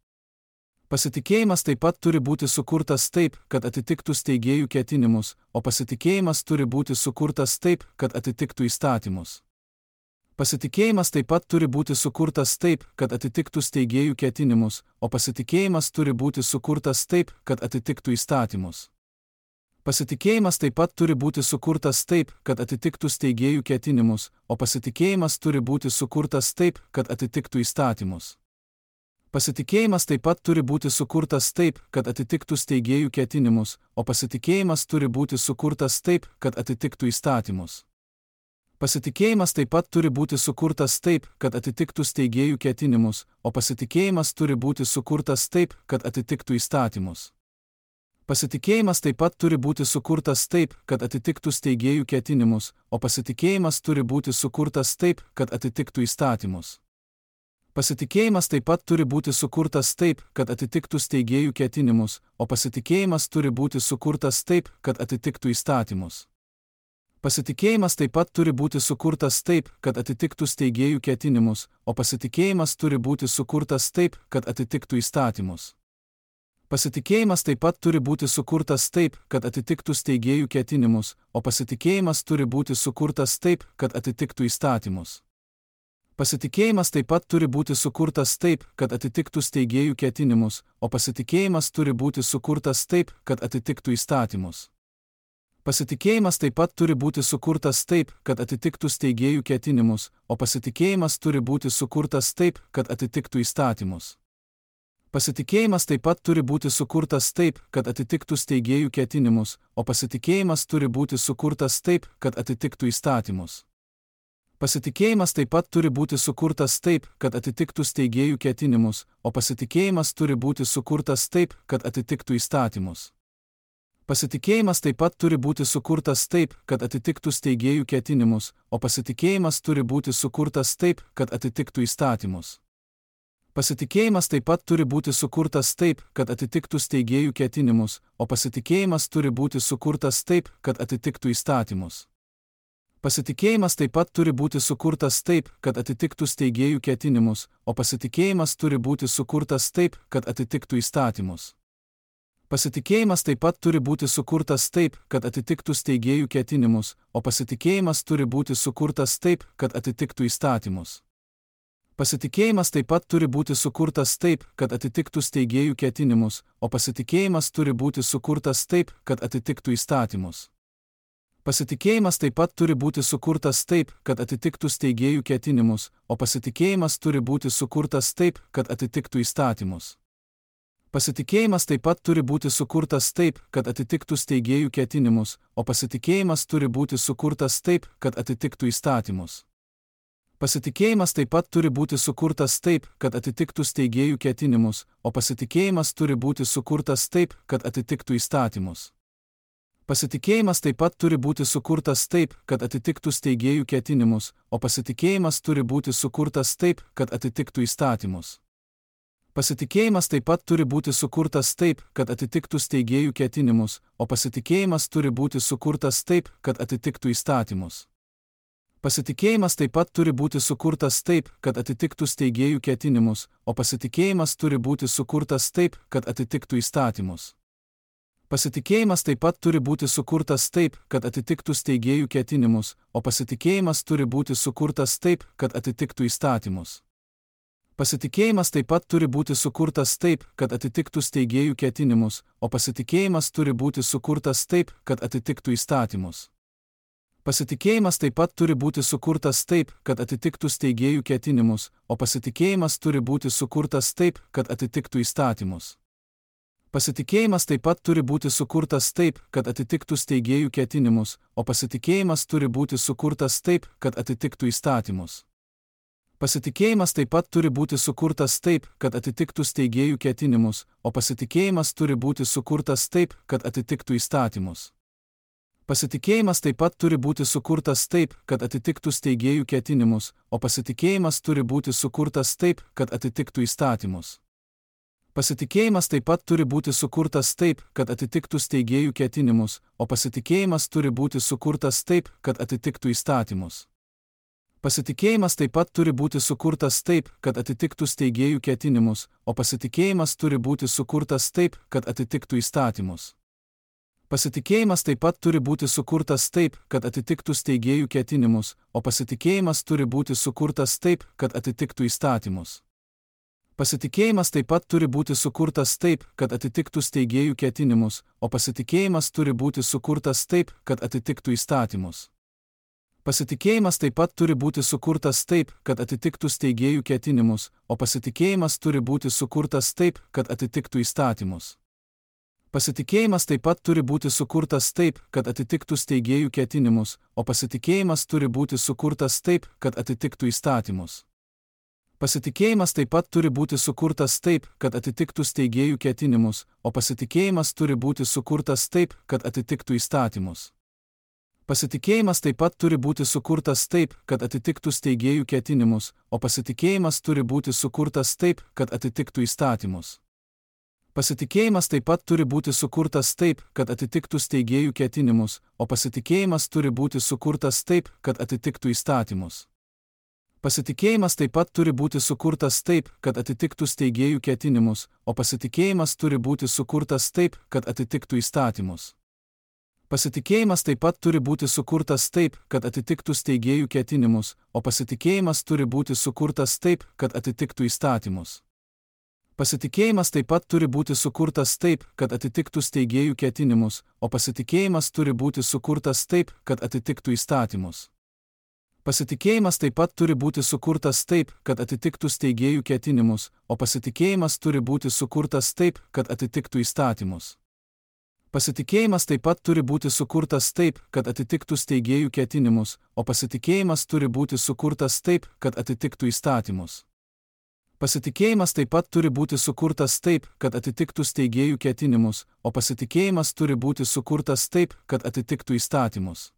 Pasitikėjimas taip pat turi būti sukurtas taip, kad atitiktų steigėjų ketinimus, o pasitikėjimas turi būti sukurtas taip, kad atitiktų įstatymus. Pasitikėjimas taip pat turi būti sukurtas taip, kad atitiktų steigėjų ketinimus, o pasitikėjimas turi būti sukurtas taip, kad atitiktų įstatymus. Pasitikėjimas taip pat turi būti sukurtas taip, kad atitiktų steigėjų ketinimus, o pasitikėjimas turi būti sukurtas taip, kad atitiktų įstatymus. Pasitikėjimas taip pat turi būti sukurtas taip, kad atitiktų steigėjų ketinimus, o pasitikėjimas turi būti sukurtas taip, kad atitiktų įstatymus. Pasitikėjimas taip pat turi būti sukurtas taip, kad atitiktų steigėjų ketinimus, o pasitikėjimas turi būti sukurtas taip, kad atitiktų įstatymus. Pasitikėjimas taip pat turi būti sukurtas taip, kad atitiktų steigėjų ketinimus, o pasitikėjimas turi būti sukurtas taip, kad atitiktų įstatymus. Pasitikėjimas taip pat turi būti sukurtas taip, kad atitiktų steigėjų ketinimus, o pasitikėjimas turi būti sukurtas taip, kad atitiktų įstatymus. Pasitikėjimas taip pat turi būti sukurtas taip, kad atitiktų steigėjų ketinimus, o pasitikėjimas turi būti sukurtas taip, kad atitiktų įstatymus. Pasitikėjimas taip pat turi būti sukurtas taip, kad atitiktų steigėjų ketinimus, o pasitikėjimas turi būti sukurtas taip, kad atitiktų įstatymus. Pasitikėjimas taip pat turi būti sukurtas taip, kad atitiktų steigėjų ketinimus, o pasitikėjimas turi būti sukurtas taip, kad atitiktų įstatymus. Pasitikėjimas taip pat turi būti sukurtas taip, kad atitiktų steigėjų ketinimus, o pasitikėjimas turi būti sukurtas taip, kad atitiktų įstatymus. Pasitikėjimas taip pat turi būti sukurtas taip, kad atitiktų steigėjų ketinimus, o pasitikėjimas turi būti sukurtas taip, kad atitiktų įstatymus. Pasitikėjimas taip pat turi būti sukurtas taip, kad atitiktų steigėjų ketinimus, o pasitikėjimas turi būti sukurtas taip, kad atitiktų įstatymus. Pasitikėjimas taip pat turi būti sukurtas taip, kad atitiktų steigėjų ketinimus, o pasitikėjimas turi būti sukurtas taip, kad atitiktų įstatymus. Pasitikėjimas taip pat turi būti sukurtas taip, kad atitiktų steigėjų ketinimus, o pasitikėjimas turi būti sukurtas taip, kad atitiktų įstatymus. Pasitikėjimas taip pat turi būti sukurtas taip, kad atitiktų steigėjų ketinimus, o pasitikėjimas turi būti sukurtas taip, kad atitiktų įstatymus. Pasitikėjimas taip pat turi būti sukurtas taip, kad atitiktų steigėjų ketinimus, o pasitikėjimas turi būti sukurtas taip, kad atitiktų įstatymus. Pasitikėjimas taip pat turi būti sukurtas taip, kad atitiktų steigėjų ketinimus, o pasitikėjimas turi būti sukurtas taip, kad atitiktų įstatymus. Pasitikėjimas taip pat turi būti sukurtas taip, kad atitiktų steigėjų ketinimus, o pasitikėjimas turi būti sukurtas taip, kad atitiktų įstatymus. Pasitikėjimas taip pat turi būti sukurtas taip, kad atitiktų steigėjų ketinimus, o pasitikėjimas turi būti sukurtas taip, kad atitiktų įstatymus. Pasitikėjimas taip pat turi būti sukurtas taip, kad atitiktų steigėjų ketinimus, o pasitikėjimas turi būti sukurtas taip, kad atitiktų įstatymus. Pasitikėjimas taip pat turi būti sukurtas taip, kad atitiktų steigėjų ketinimus, o pasitikėjimas turi būti sukurtas taip, kad atitiktų įstatymus. Pasitikėjimas taip pat turi būti sukurtas taip, kad atitiktų steigėjų ketinimus, o pasitikėjimas turi būti sukurtas taip, kad atitiktų įstatymus. Pasitikėjimas taip pat turi būti sukurtas taip, kad atitiktų steigėjų ketinimus, o pasitikėjimas turi būti sukurtas taip, kad atitiktų įstatymus. Pasitikėjimas taip pat turi būti sukurtas taip, kad atitiktų steigėjų ketinimus, o pasitikėjimas turi būti sukurtas taip, kad atitiktų įstatymus. Pasitikėjimas taip pat turi būti sukurtas taip, kad atitiktų steigėjų ketinimus, o pasitikėjimas turi būti sukurtas taip, kad atitiktų įstatymus. Pasitikėjimas taip pat turi būti sukurtas taip, kad atitiktų steigėjų ketinimus, o pasitikėjimas turi būti sukurtas taip, kad atitiktų įstatymus. Pasitikėjimas taip pat turi būti sukurtas taip, kad atitiktų steigėjų ketinimus, o pasitikėjimas turi būti sukurtas taip, kad atitiktų įstatymus. Pasitikėjimas taip pat turi būti sukurtas taip, kad atitiktų steigėjų ketinimus, o pasitikėjimas turi būti sukurtas taip, kad atitiktų įstatymus. Pasitikėjimas taip pat turi būti sukurtas taip, kad atitiktų steigėjų ketinimus, o pasitikėjimas turi būti sukurtas taip, kad atitiktų įstatymus. Pasitikėjimas taip pat turi būti sukurtas taip, kad atitiktų steigėjų ketinimus, o pasitikėjimas turi būti sukurtas taip, kad atitiktų įstatymus. Pasitikėjimas taip pat turi būti sukurtas taip, kad atitiktų steigėjų ketinimus, o pasitikėjimas turi būti sukurtas taip, kad atitiktų įstatymus. Pasitikėjimas taip pat turi būti sukurtas taip, kad atitiktų steigėjų ketinimus, o pasitikėjimas turi būti sukurtas taip, kad atitiktų įstatymus. Pasitikėjimas taip pat turi būti sukurtas taip, kad atitiktų steigėjų ketinimus, o pasitikėjimas turi būti sukurtas taip, kad atitiktų įstatymus. Pasitikėjimas taip pat turi būti sukurtas taip, kad atitiktų steigėjų ketinimus, o pasitikėjimas turi būti sukurtas taip, kad atitiktų įstatymus. Pasitikėjimas taip pat turi būti sukurtas taip, kad atitiktų steigėjų ketinimus, o pasitikėjimas turi būti sukurtas taip, kad atitiktų įstatymus. Pasitikėjimas taip pat turi būti sukurtas taip, kad atitiktų steigėjų ketinimus, o pasitikėjimas turi būti sukurtas taip, kad atitiktų įstatymus. Pasitikėjimas taip pat turi būti sukurtas taip, kad atitiktų steigėjų ketinimus, o pasitikėjimas turi būti sukurtas taip, kad atitiktų įstatymus. Pasitikėjimas taip pat turi būti sukurtas taip, kad atitiktų steigėjų ketinimus, o pasitikėjimas turi būti sukurtas taip, kad atitiktų įstatymus. Pasitikėjimas taip pat turi būti sukurtas taip, kad atitiktų steigėjų ketinimus, o pasitikėjimas turi būti sukurtas taip, kad atitiktų įstatymus. Pasitikėjimas taip pat turi būti sukurtas taip, kad atitiktų steigėjų ketinimus, o pasitikėjimas turi būti sukurtas taip, kad atitiktų įstatymus. Pasitikėjimas taip pat turi būti sukurtas taip, kad atitiktų steigėjų ketinimus, o pasitikėjimas turi būti sukurtas taip, kad atitiktų įstatymus. Pasitikėjimas taip pat turi būti sukurtas taip, kad atitiktų steigėjų ketinimus, o pasitikėjimas turi būti sukurtas taip, kad atitiktų įstatymus. Pasitikėjimas taip pat turi būti sukurtas taip, kad atitiktų steigėjų ketinimus, o pasitikėjimas turi būti sukurtas taip, kad atitiktų įstatymus. Pasitikėjimas taip pat turi būti sukurtas taip, kad atitiktų steigėjų ketinimus, o pasitikėjimas turi būti sukurtas taip, kad atitiktų įstatymus.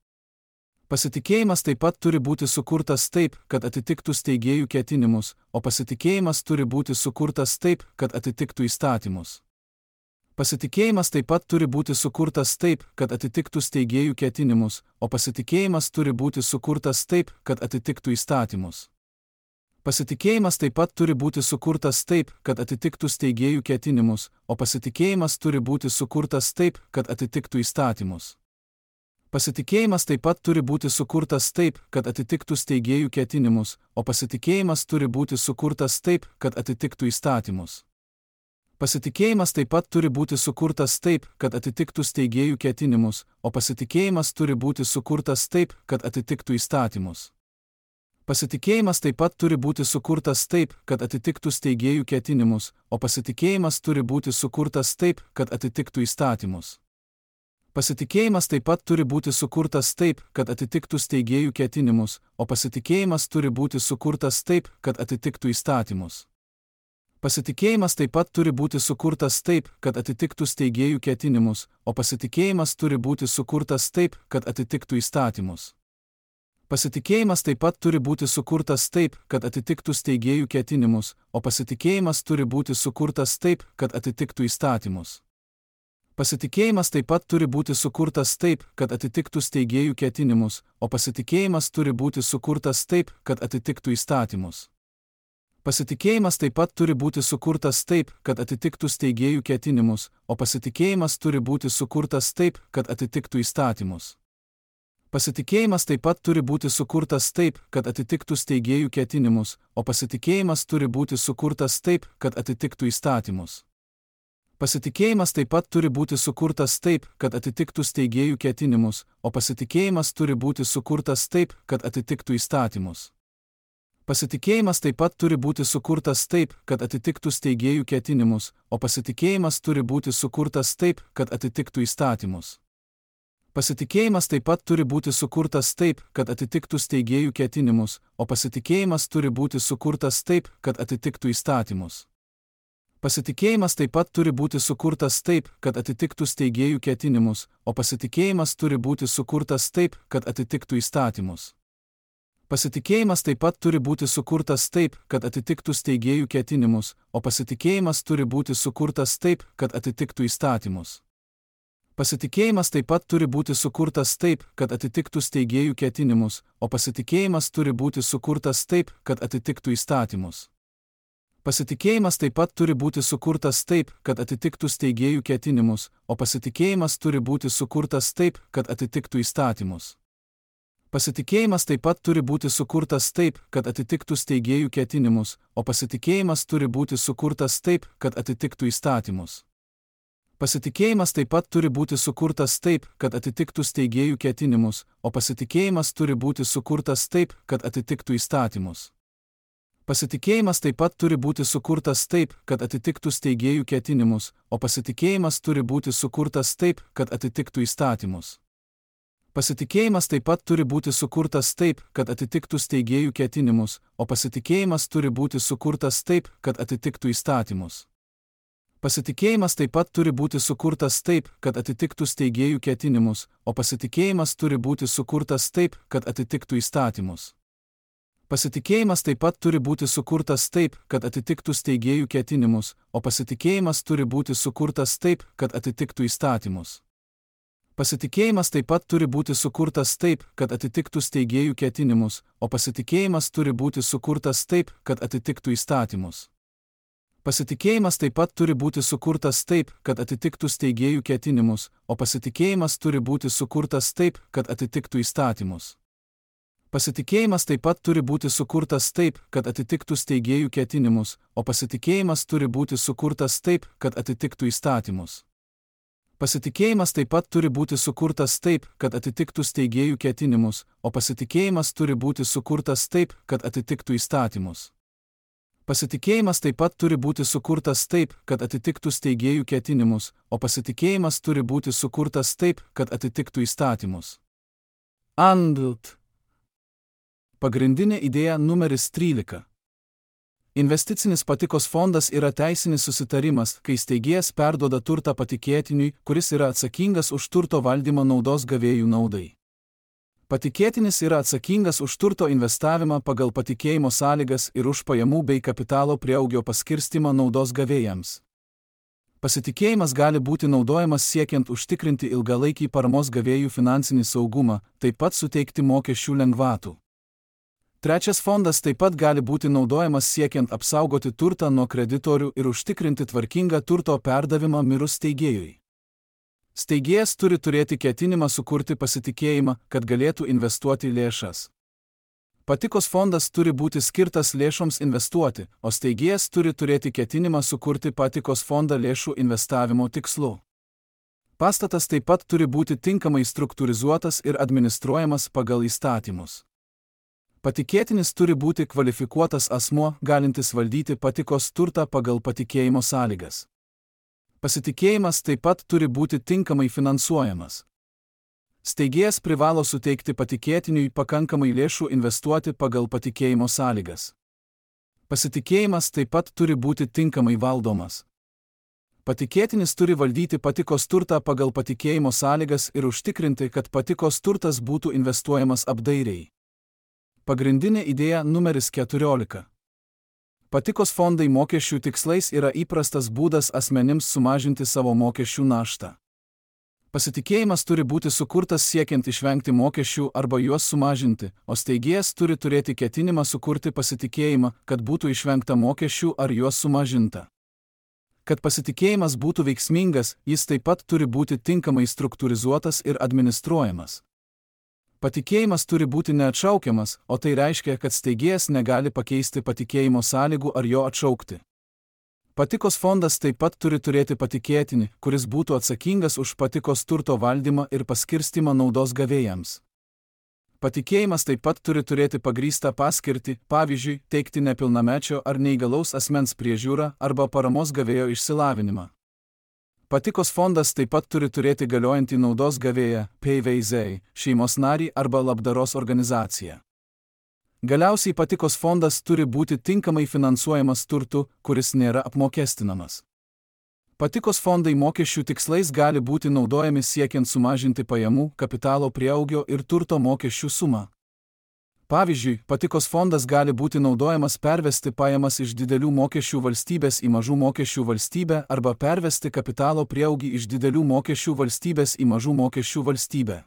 Pasitikėjimas taip pat turi būti sukurtas taip, kad atitiktų steigėjų ketinimus, o pasitikėjimas turi būti sukurtas taip, kad atitiktų įstatymus. Pasitikėjimas taip pat turi būti sukurtas taip, kad atitiktų steigėjų ketinimus, o pasitikėjimas turi būti sukurtas taip, kad atitiktų įstatymus. Pasitikėjimas taip pat turi būti sukurtas taip, kad atitiktų steigėjų ketinimus, o pasitikėjimas turi būti sukurtas taip, kad atitiktų įstatymus. Pasitikėjimas taip pat turi būti sukurtas taip, kad atitiktų steigėjų ketinimus, o pasitikėjimas turi būti sukurtas taip, kad atitiktų įstatymus. Pasitikėjimas taip pat turi būti sukurtas taip, kad atitiktų steigėjų ketinimus, o pasitikėjimas turi būti sukurtas taip, kad atitiktų įstatymus. Pasitikėjimas taip pat turi būti sukurtas taip, kad atitiktų steigėjų ketinimus, o pasitikėjimas turi būti sukurtas taip, kad atitiktų įstatymus. Pasitikėjimas taip pat turi būti sukurtas taip, kad atitiktų steigėjų ketinimus, o pasitikėjimas turi būti sukurtas taip, kad atitiktų įstatymus. Pasitikėjimas taip pat turi būti sukurtas taip, kad atitiktų steigėjų ketinimus, o pasitikėjimas turi būti sukurtas taip, kad atitiktų įstatymus. Pasitikėjimas taip pat turi būti sukurtas taip, kad atitiktų steigėjų ketinimus, o pasitikėjimas turi būti sukurtas taip, kad atitiktų įstatymus. Pasitikėjimas taip pat turi būti sukurtas taip, kad atitiktų steigėjų ketinimus, o pasitikėjimas turi būti sukurtas taip, kad atitiktų įstatymus. Pasitikėjimas taip pat turi būti sukurtas taip, kad atitiktų steigėjų ketinimus, o pasitikėjimas turi būti sukurtas taip, kad atitiktų įstatymus. Pasitikėjimas taip pat turi būti sukurtas taip, kad atitiktų steigėjų ketinimus, o pasitikėjimas turi būti sukurtas taip, kad atitiktų įstatymus. Pasitikėjimas taip pat turi būti sukurtas taip, kad atitiktų steigėjų ketinimus, o pasitikėjimas turi būti sukurtas taip, kad atitiktų įstatymus. Pasitikėjimas taip pat turi būti sukurtas taip, kad atitiktų steigėjų ketinimus, o pasitikėjimas turi būti sukurtas taip, kad atitiktų įstatymus. Pasitikėjimas taip pat turi būti sukurtas taip, kad atitiktų steigėjų ketinimus, o pasitikėjimas turi būti sukurtas taip, kad atitiktų įstatymus. Pasitikėjimas taip pat turi būti sukurtas taip, kad atitiktų steigėjų ketinimus, o pasitikėjimas turi būti sukurtas taip, kad atitiktų įstatymus. Pasitikėjimas taip pat turi būti sukurtas taip, kad atitiktų steigėjų ketinimus, o pasitikėjimas turi būti sukurtas taip, kad atitiktų įstatymus. Pasitikėjimas taip pat turi būti sukurtas taip, kad atitiktų steigėjų ketinimus, o pasitikėjimas turi būti sukurtas taip, kad atitiktų įstatymus. Pasitikėjimas taip pat turi būti sukurtas taip, kad atitiktų steigėjų ketinimus, o pasitikėjimas turi būti sukurtas taip, kad atitiktų įstatymus. Pasitikėjimas taip pat turi būti sukurtas taip, kad atitiktų steigėjų ketinimus, o pasitikėjimas turi būti sukurtas taip, kad atitiktų įstatymus. Pasitikėjimas taip pat turi būti sukurtas taip, kad atitiktų steigėjų ketinimus, o pasitikėjimas turi būti sukurtas taip, kad atitiktų įstatymus. Pasitikėjimas taip pat turi būti sukurtas taip, kad atitiktų steigėjų ketinimus, o pasitikėjimas turi būti sukurtas taip, kad atitiktų įstatymus. Pasitikėjimas taip pat turi būti sukurtas taip, kad atitiktų steigėjų ketinimus, o pasitikėjimas turi būti sukurtas taip, kad atitiktų įstatymus. Pasitikėjimas taip pat turi būti sukurtas taip, kad atitiktų steigėjų ketinimus, o pasitikėjimas turi būti sukurtas taip, kad atitiktų įstatymus. Pasitikėjimas taip pat turi būti sukurtas taip, kad atitiktų steigėjų ketinimus, o pasitikėjimas turi būti sukurtas taip, kad atitiktų įstatymus. Pasitikėjimas taip pat turi būti sukurtas taip, kad atitiktų steigėjų ketinimus, o pasitikėjimas turi būti sukurtas taip, kad atitiktų įstatymus. Pasitikėjimas taip pat turi būti sukurtas taip, kad atitiktų steigėjų ketinimus, o pasitikėjimas turi būti sukurtas taip, kad atitiktų įstatymus. Pasitikėjimas taip pat turi būti sukurtas taip, kad atitiktų steigėjų ketinimus, o pasitikėjimas turi būti sukurtas taip, kad atitiktų įstatymus. Pasitikėjimas taip pat turi būti sukurtas taip, kad atitiktų steigėjų ketinimus, o pasitikėjimas turi būti sukurtas taip, kad atitiktų įstatymus. Pasitikėjimas taip pat turi būti sukurtas taip, kad atitiktų steigėjų ketinimus, o pasitikėjimas turi būti sukurtas taip, kad atitiktų įstatymus. Andlt. Pagrindinė idėja numeris trylika. Investicinis patikos fondas yra teisinis susitarimas, kai steigėjas perduoda turtą patikėtiniui, kuris yra atsakingas už turto valdymą naudos gavėjų naudai. Patikėtinis yra atsakingas už turto investavimą pagal patikėjimo sąlygas ir už pajamų bei kapitalo prieaugio paskirstimą naudos gavėjams. Pasitikėjimas gali būti naudojamas siekiant užtikrinti ilgalaikį paramos gavėjų finansinį saugumą, taip pat suteikti mokesčių lengvatų. Trečias fondas taip pat gali būti naudojamas siekiant apsaugoti turtą nuo kreditorių ir užtikrinti tvarkingą turto perdavimą mirus steigėjui. Steigėjas turi turėti ketinimą sukurti pasitikėjimą, kad galėtų investuoti lėšas. Patikos fondas turi būti skirtas lėšoms investuoti, o steigėjas turi turėti ketinimą sukurti patikos fondą lėšų investavimo tikslu. Pastatas taip pat turi būti tinkamai struktūrizuotas ir administruojamas pagal įstatymus. Patikėtinis turi būti kvalifikuotas asmuo, galintis valdyti patikos turtą pagal patikėjimo sąlygas. Pasitikėjimas taip pat turi būti tinkamai finansuojamas. Steigėjas privalo suteikti patikėtiniui pakankamai lėšų investuoti pagal patikėjimo sąlygas. Pasitikėjimas taip pat turi būti tinkamai valdomas. Patikėtinis turi valdyti patikos turtą pagal patikėjimo sąlygas ir užtikrinti, kad patikos turtas būtų investuojamas apdairiai. Pagrindinė idėja numeris keturiolika. Patikos fondai mokesčių tikslais yra įprastas būdas asmenims sumažinti savo mokesčių naštą. Pasitikėjimas turi būti sukurtas siekiant išvengti mokesčių arba juos sumažinti, o steigėjas turi turėti ketinimą sukurti pasitikėjimą, kad būtų išvengta mokesčių ar juos sumažinta. Kad pasitikėjimas būtų veiksmingas, jis taip pat turi būti tinkamai struktūrizuotas ir administruojamas. Patikėjimas turi būti neatšaukiamas, o tai reiškia, kad steigėjas negali pakeisti patikėjimo sąlygų ar jo atšaukti. Patikos fondas taip pat turi turėti patikėtinį, kuris būtų atsakingas už patikos turto valdymą ir paskirstimą naudos gavėjams. Patikėjimas taip pat turi turėti pagrįstą paskirtį, pavyzdžiui, teikti nepilnamečio ar neįgalaus asmens priežiūrą arba paramos gavėjo išsilavinimą. Patikos fondas taip pat turi turėti galiojantį naudos gavėją, P V Z, šeimos narį arba labdaros organizaciją. Galiausiai patikos fondas turi būti tinkamai finansuojamas turtu, kuris nėra apmokestinamas. Patikos fondai mokesčių tikslais gali būti naudojami siekiant sumažinti pajamų, kapitalo prieaugio ir turto mokesčių sumą. Pavyzdžiui, patikos fondas gali būti naudojamas pervesti pajamas iš didelių mokesčių valstybės į mažų mokesčių valstybę arba pervesti kapitalo prieaugį iš didelių mokesčių valstybės į mažų mokesčių valstybę.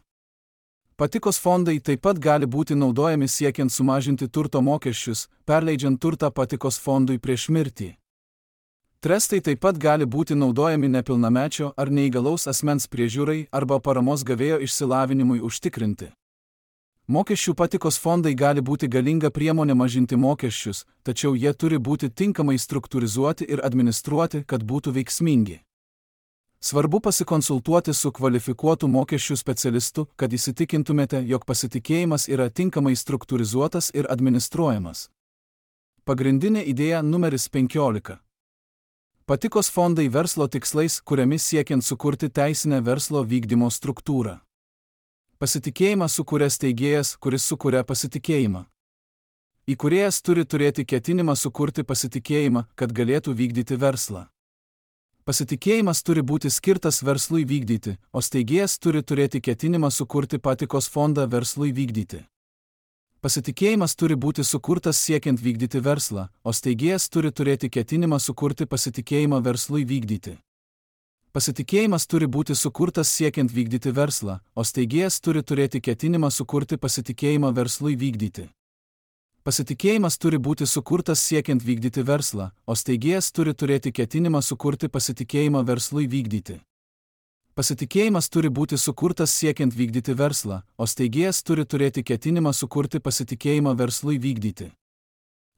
Patikos fondai taip pat gali būti naudojami siekiant sumažinti turto mokesčius, perleidžiant turtą patikos fondui prieš mirtį. Trestai taip pat gali būti naudojami nepilnamečio ar neįgalaus asmens priežiūrai arba paramos gavėjo išsilavinimui užtikrinti. Mokesčių patikos fondai gali būti galinga priemonė mažinti mokesčius, tačiau jie turi būti tinkamai struktūrizuoti ir administruoti, kad būtų veiksmingi. Svarbu pasikonsultuoti su kvalifikuotu mokesčių specialistu, kad įsitikintumėte, jog pasitikėjimas yra tinkamai struktūrizuotas ir administruojamas. Pagrindinė idėja numeris penkiolika. Patikos fondai verslo tikslais, kuriami siekiant sukurti teisinę verslo vykdymo struktūrą. Pasitikėjimą sukuria steigėjas, kuris sukuria pasitikėjimą. Įkūrėjas turi turėti ketinimą sukurti pasitikėjimą, kad galėtų vykdyti verslą. Pasitikėjimas turi būti skirtas verslui vykdyti, o steigėjas turi turėti ketinimą sukurti patikos fondą verslui vykdyti. Pasitikėjimas turi būti sukurtas siekiant vykdyti verslą, o steigėjas turi turėti ketinimą sukurti pasitikėjimą verslui vykdyti. Pasitikėjimas turi būti sukurtas siekiant vykdyti verslą, o steigėjas turi turėti ketinimą sukurti pasitikėjimą verslui vykdyti. Pasitikėjimas turi būti sukurtas siekiant vykdyti verslą, o steigėjas turi turėti ketinimą sukurti pasitikėjimą verslui vykdyti. Pasitikėjimas turi būti sukurtas siekiant vykdyti verslą, o steigėjas turi turėti ketinimą sukurti pasitikėjimą verslui vykdyti.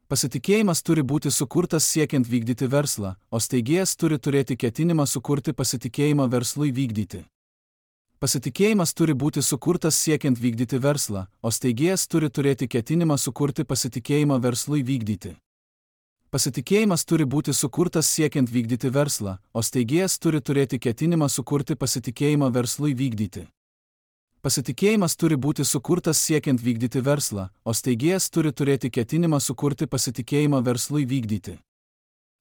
Pasitikėjimas turi būti sukurtas siekiant vykdyti verslą, o steigėjas turi turėti ketinimą sukurti pasitikėjimą verslui vykdyti. Pasitikėjimas turi būti sukurtas siekiant vykdyti verslą, o steigėjas turi turėti ketinimą sukurti pasitikėjimą verslui vykdyti. Pasitikėjimas turi būti sukurtas siekiant vykdyti verslą, o steigėjas turi turėti ketinimą sukurti pasitikėjimą verslui vykdyti. Pasitikėjimas turi būti sukurtas siekiant vykdyti verslą, o steigėjas turi turėti ketinimą sukurti pasitikėjimą verslui vykdyti.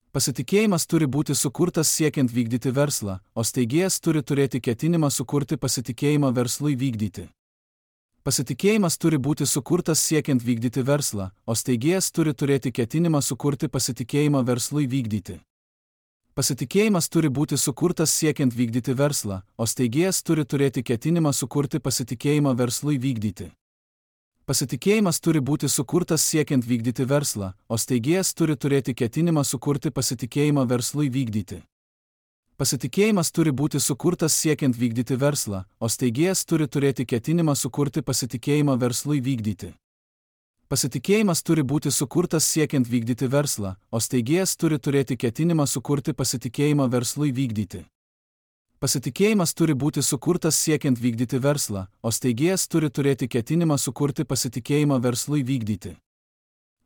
Pasitikėjimas turi būti sukurtas siekiant vykdyti verslą, o steigėjas turi turėti ketinimą sukurti pasitikėjimą verslui vykdyti. Pasitikėjimas turi būti sukurtas siekiant vykdyti verslą, o steigėjas turi turėti ketinimą sukurti pasitikėjimą verslui vykdyti. Pasitikėjimas turi būti sukurtas siekiant vykdyti verslą, o steigėjas turi turėti ketinimą sukurti pasitikėjimą verslui vykdyti. Pasitikėjimas turi būti sukurtas siekiant vykdyti verslą, o steigėjas turi turėti ketinimą sukurti pasitikėjimą verslui vykdyti. Pasitikėjimas turi būti sukurtas siekiant vykdyti verslą, o steigėjas turi turėti ketinimą sukurti pasitikėjimą verslui vykdyti. Pasitikėjimas turi būti sukurtas siekiant vykdyti verslą, o steigėjas turi turėti ketinimą sukurti pasitikėjimą verslui vykdyti. Pasitikėjimas turi būti sukurtas siekiant vykdyti verslą, o steigėjas turi turėti ketinimą sukurti pasitikėjimą verslui vykdyti.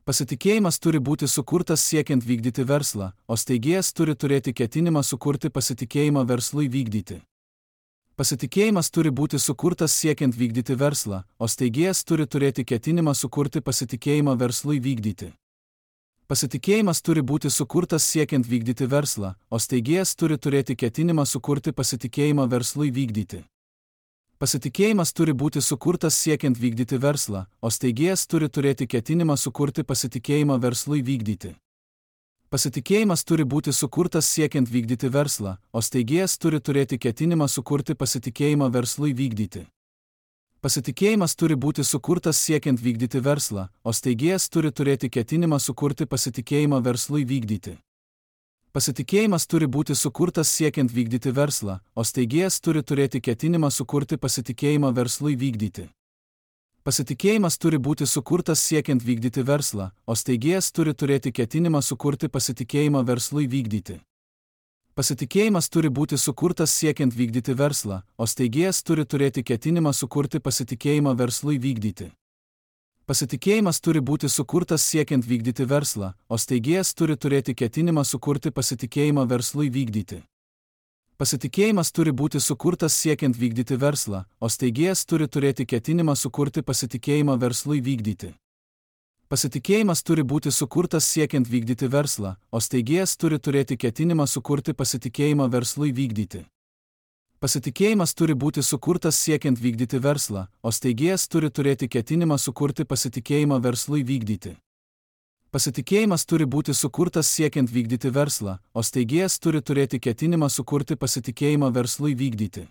Pasitikėjimas turi būti sukurtas siekiant vykdyti verslą, o steigėjas turi turėti ketinimą sukurti pasitikėjimą verslui vykdyti. Pasitikėjimas turi būti sukurtas siekiant vykdyti verslą, o steigėjas turi turėti ketinimą sukurti pasitikėjimą verslui vykdyti. Pasitikėjimas turi būti sukurtas siekiant vykdyti verslą, o steigėjas turi turėti ketinimą sukurti pasitikėjimą verslui vykdyti. Pasitikėjimas turi būti sukurtas siekiant vykdyti verslą, o steigėjas turi turėti ketinimą sukurti pasitikėjimą verslui vykdyti. Pasitikėjimas turi būti sukurtas siekiant vykdyti verslą, o steigėjas turi turėti ketinimą sukurti pasitikėjimą verslui vykdyti. Pasitikėjimas turi būti sukurtas siekiant vykdyti verslą, o steigėjas turi turėti ketinimą sukurti pasitikėjimą verslui vykdyti. Pasitikėjimas turi būti sukurtas siekiant vykdyti verslą, o steigėjas turi turėti ketinimą sukurti pasitikėjimą verslui vykdyti. Pasitikėjimas turi būti sukurtas siekiant vykdyti verslą, o steigėjas turi turėti ketinimą sukurti pasitikėjimą verslui vykdyti. Pasitikėjimas turi būti sukurtas siekiant vykdyti verslą, o steigėjas turi turėti ketinimą sukurti pasitikėjimą verslui vykdyti. Pasitikėjimas turi būti sukurtas siekiant vykdyti verslą, o steigėjas turi turėti ketinimą sukurti pasitikėjimą verslui vykdyti. Pasitikėjimas turi būti sukurtas siekiant vykdyti verslą, o steigėjas turi turėti ketinimą sukurti pasitikėjimą verslui vykdyti. Pasitikėjimas turi būti sukurtas siekiant vykdyti verslą, o steigėjas turi turėti ketinimą sukurti pasitikėjimą verslui vykdyti. Pasitikėjimas turi būti sukurtas siekiant vykdyti verslą, o steigėjas turi turėti ketinimą sukurti pasitikėjimą verslui vykdyti. Pasitikėjimas turi būti sukurtas siekiant vykdyti verslą, o steigėjas turi turėti ketinimą sukurti pasitikėjimą verslui vykdyti.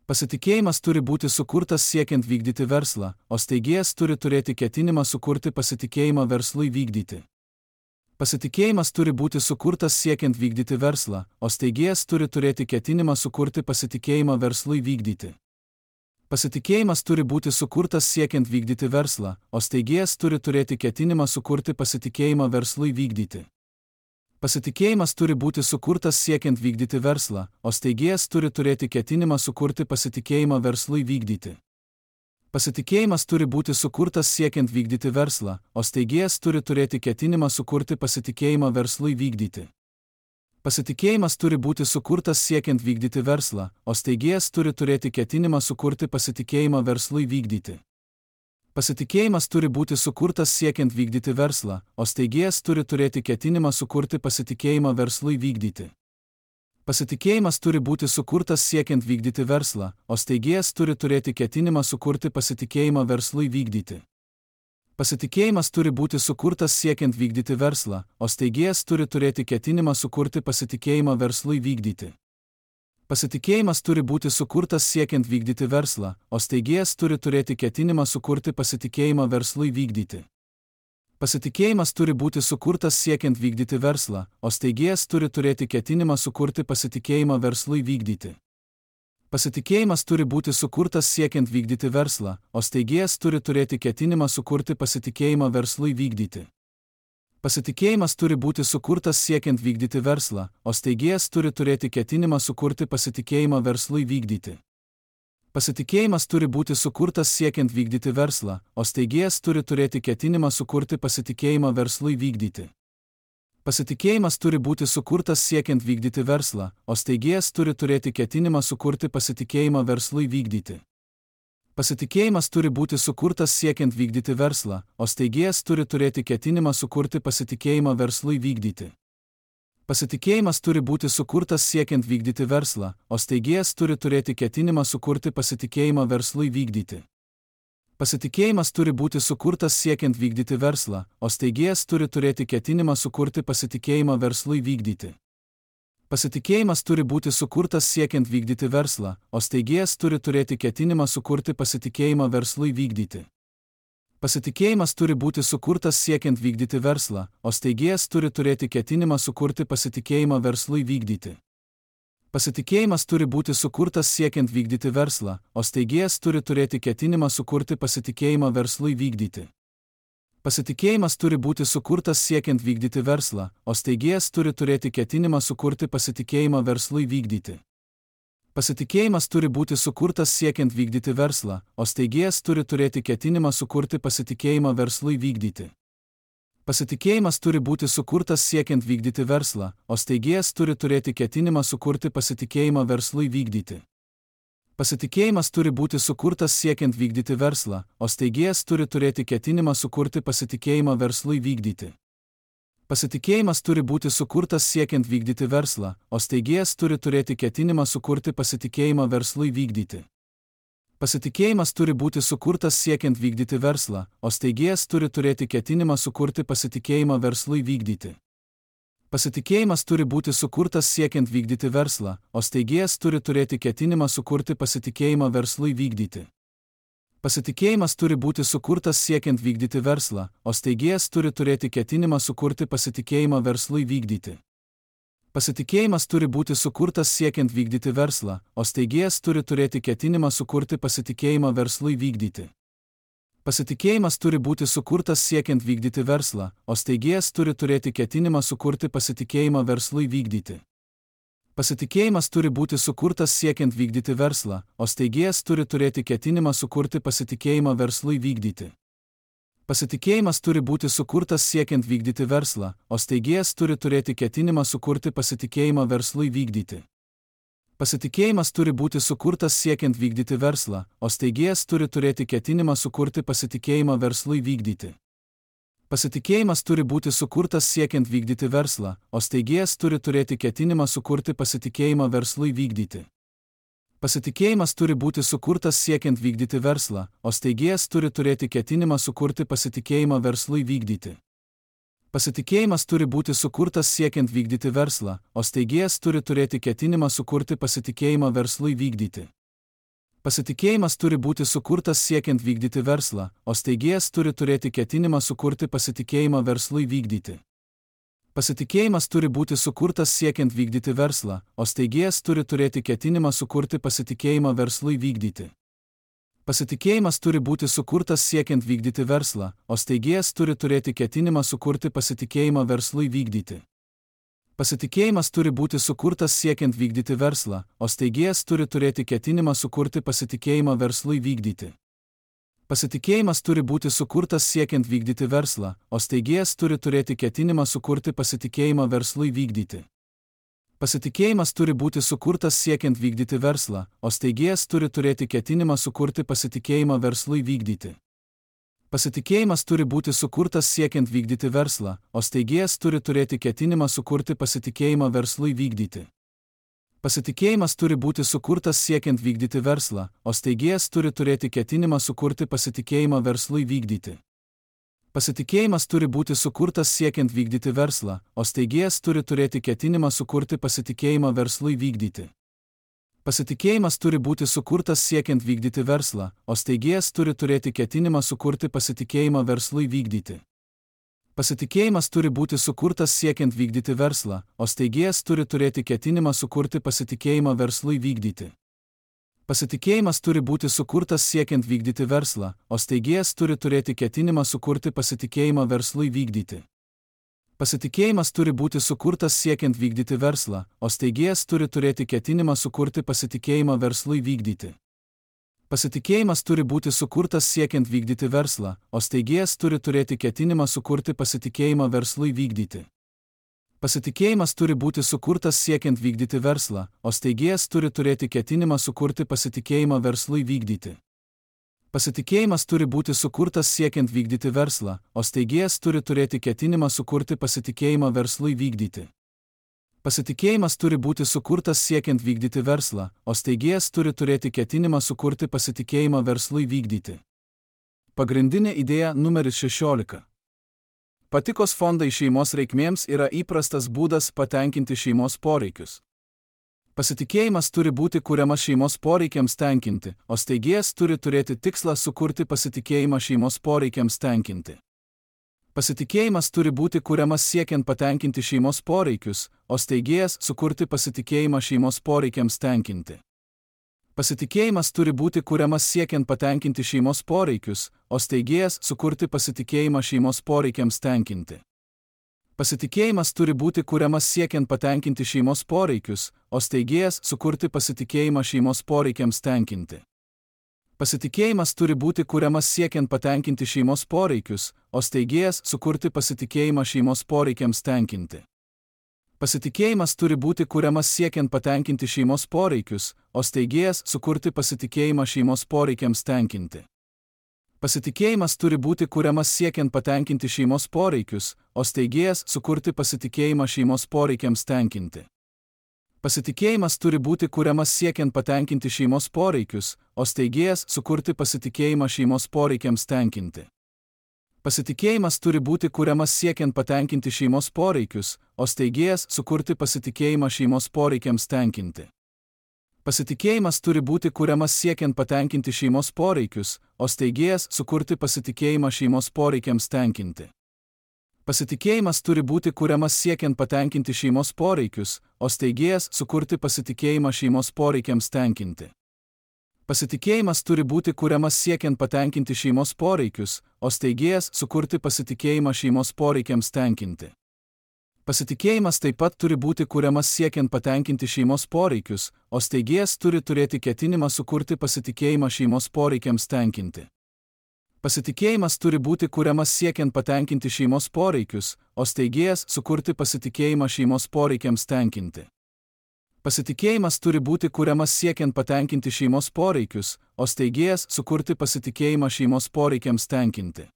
Pasitikėjimas turi būti sukurtas siekiant vykdyti verslą, o steigėjas turi turėti ketinimą sukurti pasitikėjimą verslui vykdyti. Pasitikėjimas turi būti sukurtas siekiant vykdyti verslą, o steigėjas turi turėti ketinimą sukurti pasitikėjimą verslui vykdyti. Pasitikėjimas turi būti sukurtas siekiant vykdyti verslą, o steigėjas turi turėti ketinimą sukurti pasitikėjimą verslui vykdyti. Pasitikėjimas turi būti sukurtas siekiant vykdyti verslą, o steigėjas turi turėti ketinimą sukurti pasitikėjimą verslui vykdyti. Pasitikėjimas turi būti sukurtas siekiant vykdyti verslą, o steigėjas turi turėti ketinimą sukurti pasitikėjimą verslui vykdyti. Pasitikėjimas turi būti sukurtas siekiant vykdyti verslą, o steigėjas turi turėti ketinimą sukurti pasitikėjimą verslui vykdyti. Pasitikėjimas turi būti sukurtas siekiant vykdyti verslą, o steigėjas turi turėti ketinimą sukurti pasitikėjimą verslui vykdyti. Pasitikėjimas turi būti sukurtas siekiant vykdyti verslą, o steigėjas turi turėti ketinimą sukurti pasitikėjimą verslui vykdyti. Pasitikėjimas turi būti sukurtas siekiant vykdyti verslą, o steigėjas turi turėti ketinimą sukurti pasitikėjimą verslui vykdyti. Pasitikėjimas turi būti sukurtas siekiant vykdyti verslą, o steigėjas turi turėti ketinimą sukurti pasitikėjimą verslui vykdyti. Pasitikėjimas turi būti sukurtas siekiant vykdyti verslą, o steigėjas turi turėti ketinimą sukurti pasitikėjimą verslui vykdyti. Pasitikėjimas turi būti sukurtas siekiant vykdyti verslą, o steigėjas turi turėti ketinimą sukurti pasitikėjimą verslui vykdyti. Pasitikėjimas turi būti sukurtas siekiant vykdyti verslą, o steigėjas turi turėti ketinimą sukurti pasitikėjimą verslui vykdyti. Pasitikėjimas turi būti sukurtas siekiant vykdyti verslą, o steigėjas turi turėti ketinimą sukurti pasitikėjimą verslui vykdyti. Pasitikėjimas turi būti sukurtas siekiant vykdyti verslą, o steigėjas turi turėti ketinimą sukurti pasitikėjimą verslui vykdyti. Pasitikėjimas turi būti sukurtas siekiant vykdyti verslą, o steigėjas turi turėti ketinimą sukurti pasitikėjimą verslui vykdyti. Pasitikėjimas turi būti sukurtas siekiant vykdyti verslą, o steigėjas turi turėti ketinimą sukurti pasitikėjimą verslui vykdyti. Pasitikėjimas turi būti sukurtas siekiant vykdyti verslą, o steigėjas turi turėti ketinimą sukurti pasitikėjimą verslui vykdyti. Pasitikėjimas turi būti sukurtas siekiant vykdyti verslą, o steigėjas turi turėti ketinimą sukurti pasitikėjimą verslui vykdyti. Pasitikėjimas turi būti sukurtas siekiant vykdyti verslą, o steigėjas turi turėti ketinimą sukurti pasitikėjimą verslui vykdyti. Pasitikėjimas turi būti sukurtas siekiant vykdyti verslą, o steigėjas turi turėti ketinimą sukurti pasitikėjimą verslui vykdyti. Pasitikėjimas turi būti sukurtas siekiant vykdyti verslą, o steigėjas turi turėti ketinimą sukurti pasitikėjimą verslui vykdyti. Pasitikėjimas turi būti sukurtas siekiant vykdyti verslą, o steigėjas turi turėti ketinimą sukurti pasitikėjimą verslui vykdyti. Pasitikėjimas turi būti sukurtas siekiant vykdyti verslą, o steigėjas turi turėti ketinimą sukurti pasitikėjimą verslui vykdyti. Pasitikėjimas turi būti sukurtas siekiant vykdyti verslą, o steigėjas turi turėti ketinimą sukurti pasitikėjimą verslui vykdyti. Pasitikėjimas turi būti sukurtas siekiant vykdyti verslą, o steigėjas turi turėti ketinimą sukurti pasitikėjimą verslui vykdyti. Pasitikėjimas turi būti sukurtas siekiant vykdyti verslą, o steigėjas turi turėti ketinimą sukurti pasitikėjimą verslui vykdyti. Pasitikėjimas turi būti sukurtas siekiant vykdyti verslą, o steigėjas turi turėti ketinimą sukurti pasitikėjimą verslui vykdyti. Pasitikėjimas turi būti sukurtas siekiant vykdyti verslą, o steigėjas turi turėti ketinimą sukurti pasitikėjimą verslui vykdyti. Pasitikėjimas turi būti sukurtas siekiant vykdyti verslą, o steigėjas turi turėti ketinimą sukurti pasitikėjimą verslui vykdyti. Pasitikėjimas turi būti sukurtas siekiant vykdyti verslą, o steigėjas turi turėti ketinimą sukurti pasitikėjimą verslui vykdyti. Pasitikėjimas turi būti sukurtas siekiant vykdyti verslą, o steigėjas turi turėti ketinimą sukurti pasitikėjimą verslui vykdyti. Pasitikėjimas turi būti sukurtas siekiant vykdyti verslą, o steigėjas turi turėti ketinimą sukurti pasitikėjimą verslui vykdyti. Pasitikėjimas turi būti sukurtas siekiant vykdyti verslą, o steigėjas turi turėti ketinimą sukurti pasitikėjimą verslui vykdyti. Pasitikėjimas turi būti sukurtas siekiant vykdyti verslą, o steigėjas turi turėti ketinimą sukurti pasitikėjimą verslui vykdyti. Pasitikėjimas turi būti sukurtas siekiant vykdyti verslą, o steigėjas turi turėti ketinimą sukurti pasitikėjimą verslui vykdyti. Pasitikėjimas turi būti sukurtas siekiant vykdyti verslą, o steigėjas turi turėti ketinimą sukurti pasitikėjimą verslui vykdyti. Pasitikėjimas turi būti sukurtas siekiant vykdyti verslą, o steigėjas turi turėti ketinimą sukurti pasitikėjimą verslui vykdyti. Pasitikėjimas turi būti sukurtas siekiant vykdyti verslą, o steigėjas turi turėti ketinimą sukurti pasitikėjimą verslui vykdyti. Pasitikėjimas turi būti sukurtas siekiant vykdyti verslą, o steigėjas turi turėti ketinimą sukurti pasitikėjimą verslui vykdyti. Pasitikėjimas turi būti sukurtas siekiant vykdyti verslą, o steigėjas turi turėti ketinimą sukurti pasitikėjimą verslui vykdyti. Pasitikėjimas turi būti sukurtas siekiant vykdyti verslą, o steigėjas turi turėti ketinimą sukurti pasitikėjimą verslui vykdyti. Pasitikėjimas turi būti sukurtas siekiant vykdyti verslą, o steigėjas turi turėti ketinimą sukurti pasitikėjimą verslui vykdyti. Pasitikėjimas turi būti sukurtas siekiant vykdyti verslą, o steigėjas turi turėti ketinimą sukurti pasitikėjimą verslui vykdyti. Pasitikėjimas turi būti sukurtas siekiant vykdyti verslą, o steigėjas turi turėti ketinimą sukurti pasitikėjimą verslui vykdyti. Pasitikėjimas turi būti sukurtas siekiant vykdyti verslą, o steigėjas turi turėti ketinimą sukurti pasitikėjimą verslui vykdyti. Pasitikėjimas turi būti sukurtas siekiant vykdyti verslą, o steigėjas turi turėti ketinimą sukurti pasitikėjimą verslui vykdyti. Pasitikėjimas turi būti sukurtas siekiant vykdyti verslą, o steigėjas turi turėti ketinimą sukurti pasitikėjimą verslui vykdyti. Pasitikėjimas turi būti sukurtas siekiant vykdyti verslą, o steigėjas turi turėti ketinimą sukurti pasitikėjimą verslui vykdyti. Pasitikėjimas turi būti sukurtas siekiant vykdyti verslą, o steigėjas turi turėti ketinimą sukurti pasitikėjimą verslui vykdyti. Pasitikėjimas turi būti sukurtas siekiant vykdyti verslą, o steigėjas turi turėti ketinimą sukurti pasitikėjimą verslui vykdyti. Pasitikėjimas turi būti sukurtas siekiant vykdyti verslą, o steigėjas turi turėti ketinimą sukurti pasitikėjimą verslui vykdyti. Pasitikėjimas turi būti sukurtas siekiant vykdyti verslą, o steigėjas turi turėti ketinimą sukurti pasitikėjimą verslui vykdyti. Pasitikėjimas turi būti sukurtas siekiant vykdyti verslą, o steigėjas turi turėti ketinimą sukurti pasitikėjimą verslui vykdyti. Pagrindinė idėja numeris šešiolika. Patikos fondai šeimos reikmėms yra įprastas būdas patenkinti šeimos poreikius. Pasitikėjimas turi būti kuriamas šeimos poreikiams tenkinti, o steigėjas turi turėti tikslą sukurti pasitikėjimą šeimos poreikiams tenkinti. Pasitikėjimas turi būti kuriamas siekiant patenkinti šeimos poreikius, o steigėjas sukurti pasitikėjimą šeimos poreikiams tenkinti. Pasitikėjimas turi būti kuriamas siekiant patenkinti šeimos poreikius, o steigėjas sukurti pasitikėjimą šeimos poreikiams tenkinti. Pasitikėjimas turi būti kuriamas siekiant patenkinti šeimos poreikius, o steigėjas sukurti pasitikėjimą šeimos poreikiams tenkinti. Pasitikėjimas turi būti kuriamas siekiant patenkinti šeimos poreikius, o steigėjas sukurti pasitikėjimą šeimos poreikiams tenkinti. Pasitikėjimas turi būti kuriamas siekiant patenkinti šeimos poreikius, o steigėjas sukurti pasitikėjimą šeimos poreikiams tenkinti. Pasitikėjimas turi būti kuriamas siekiant patenkinti šeimos poreikius, o steigėjas sukurti pasitikėjimą šeimos poreikiams tenkinti. Pasitikėjimas turi būti kuriamas siekiant patenkinti šeimos poreikius, o steigėjas sukurti pasitikėjimą šeimos poreikiams tenkinti. Pasitikėjimas turi būti kuriamas siekiant patenkinti šeimos poreikius, o steigėjas sukurti pasitikėjimą šeimos poreikiams tenkinti. Pasitikėjimas turi būti kuriamas siekiant patenkinti šeimos poreikius, o steigėjas sukurti pasitikėjimą šeimos poreikiams tenkinti. Pasitikėjimas turi būti kuriamas siekiant patenkinti šeimos poreikius, o steigėjas sukurti pasitikėjimą šeimos poreikiams tenkinti. Pasitikėjimas turi būti kuriamas siekiant patenkinti šeimos poreikius, o steigėjas sukurti pasitikėjimą šeimos poreikiams tenkinti. Pasitikėjimas taip pat turi būti kuriamas siekiant patenkinti šeimos poreikius, o steigėjas turi turėti ketinimą sukurti pasitikėjimą šeimos poreikiams tenkinti. Pasitikėjimas turi būti kuriamas siekiant patenkinti šeimos poreikius, o steigėjas sukurti pasitikėjimą šeimos poreikiams tenkinti. Pasitikėjimas turi būti kuriamas siekiant patenkinti šeimos poreikius, o steigėjas sukurti pasitikėjimą šeimos poreikiams tenkinti.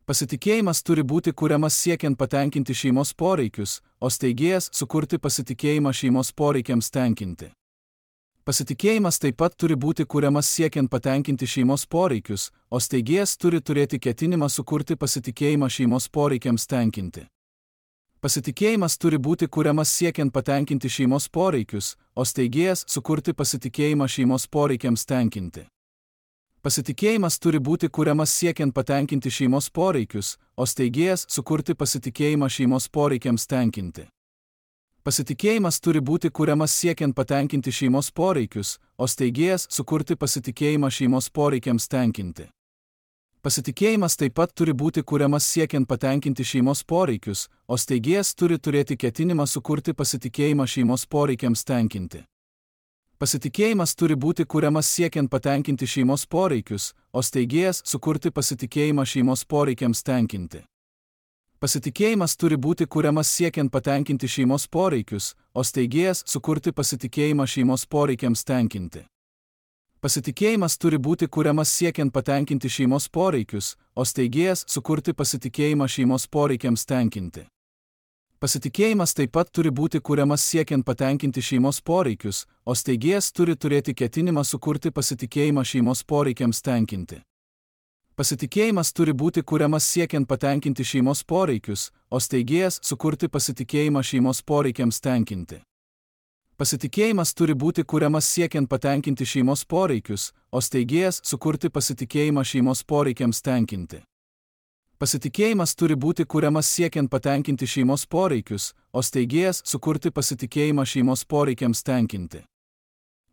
Pasitikėjimas turi būti kuriamas siekiant patenkinti šeimos poreikius, o steigėjas sukurti pasitikėjimą šeimos poreikiams tenkinti. Pasitikėjimas taip pat turi būti kuriamas siekiant patenkinti šeimos poreikius, o steigėjas turi turėti ketinimą sukurti pasitikėjimą šeimos poreikiams tenkinti. Pasitikėjimas turi būti kuriamas siekiant patenkinti šeimos poreikius, o steigėjas sukurti pasitikėjimą šeimos poreikiams tenkinti. Pasitikėjimas turi būti kuriamas siekiant patenkinti šeimos poreikius, o steigėjas sukurti pasitikėjimą šeimos poreikiams tenkinti. Pasitikėjimas turi būti kuriamas siekiant patenkinti šeimos poreikius, o steigėjas sukurti pasitikėjimą šeimos poreikiams tenkinti. Pasitikėjimas taip pat turi būti kuriamas siekiant patenkinti šeimos poreikius, o steigėjas turi turėti ketinimą sukurti pasitikėjimą šeimos poreikiams tenkinti. Pasitikėjimas turi būti kuriamas siekiant patenkinti šeimos poreikius, o steigėjas sukurti pasitikėjimą šeimos poreikiams tenkinti. Pasitikėjimas turi būti kuriamas siekiant patenkinti šeimos poreikius, o steigėjas sukurti pasitikėjimą šeimos poreikiams tenkinti. Pasitikėjimas turi būti kuriamas siekiant patenkinti šeimos poreikius, o steigėjas sukurti pasitikėjimą šeimos poreikiams tenkinti. Pasitikėjimas taip pat turi būti kuriamas siekiant patenkinti šeimos poreikius, o steigėjas turi turėti ketinimą sukurti pasitikėjimą šeimos poreikiams tenkinti. Pasitikėjimas turi būti kuriamas siekiant patenkinti šeimos poreikius, o steigėjas sukurti pasitikėjimą šeimos poreikiams tenkinti. Pasitikėjimas turi būti kuriamas siekiant patenkinti šeimos poreikius, o steigėjas sukurti pasitikėjimą šeimos poreikiams tenkinti. Pasitikėjimas turi būti kuriamas siekiant patenkinti šeimos poreikius, o steigėjas sukurti pasitikėjimą šeimos poreikiams tenkinti.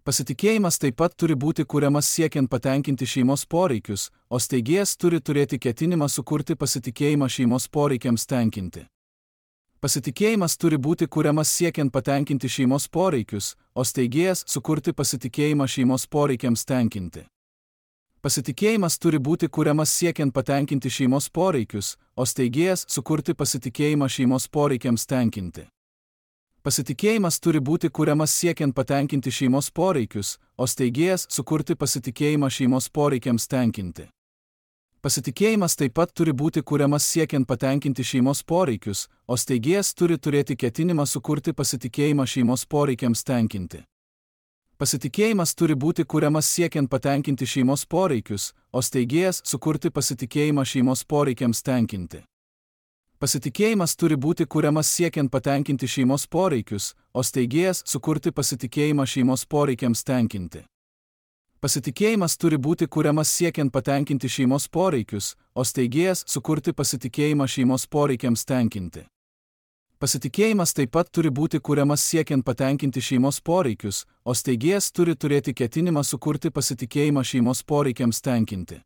Pasitikėjimas taip pat turi būti kuriamas siekiant patenkinti šeimos poreikius, o steigėjas turi turėti ketinimą sukurti pasitikėjimą šeimos poreikiams tenkinti. Pasitikėjimas turi būti kuriamas siekiant patenkinti šeimos poreikius, o steigėjas sukurti pasitikėjimą šeimos poreikiams tenkinti. Pasitikėjimas turi būti kuriamas siekiant patenkinti šeimos poreikius, o steigėjas sukurti pasitikėjimą šeimos poreikiams tenkinti. Pasitikėjimas turi būti kuriamas siekiant patenkinti šeimos poreikius, o steigėjas sukurti pasitikėjimą šeimos poreikiams tenkinti. Pasitikėjimas taip pat turi būti kuriamas siekiant patenkinti šeimos poreikius, o steigėjas turi turėti ketinimą sukurti pasitikėjimą šeimos poreikiams tenkinti. Pasitikėjimas turi būti kuriamas siekiant patenkinti šeimos poreikius, o steigėjas sukurti pasitikėjimą šeimos poreikiams tenkinti. Pasitikėjimas turi būti kuriamas siekiant patenkinti šeimos poreikius, o steigėjas sukurti pasitikėjimą šeimos poreikiams tenkinti. Pasitikėjimas turi būti kuriamas siekiant patenkinti šeimos poreikius, o steigėjas sukurti pasitikėjimą šeimos poreikiams tenkinti. Pasitikėjimas taip pat turi būti kuriamas siekiant patenkinti šeimos poreikius, o steigėjas turi turėti ketinimą sukurti pasitikėjimą šeimos poreikiams tenkinti.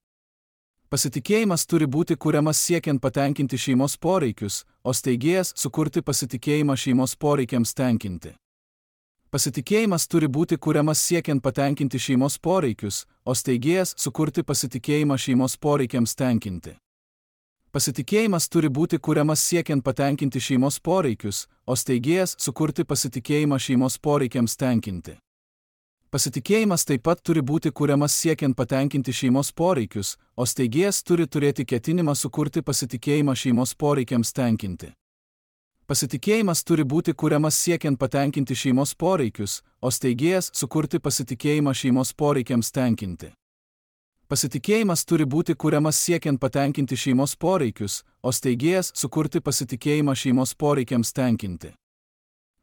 Pasitikėjimas turi būti kuriamas siekiant patenkinti šeimos poreikius, o steigėjas sukurti pasitikėjimą šeimos poreikiams tenkinti. Pasitikėjimas turi būti kuriamas siekiant patenkinti šeimos poreikius, o steigėjas sukurti pasitikėjimą šeimos poreikiams tenkinti. Pasitikėjimas turi būti kuriamas siekiant patenkinti šeimos poreikius, o steigėjas sukurti pasitikėjimą šeimos poreikiams tenkinti. Pasitikėjimas taip pat turi būti kuriamas siekiant patenkinti šeimos poreikius, o steigėjas turi turėti ketinimą sukurti pasitikėjimą šeimos poreikiams tenkinti. Pasitikėjimas turi būti kuriamas siekiant patenkinti šeimos poreikius, o steigėjas sukurti pasitikėjimą šeimos poreikiams tenkinti. Pasitikėjimas turi būti kuriamas siekiant patenkinti šeimos poreikius, o steigėjas sukurti pasitikėjimą šeimos poreikiams tenkinti.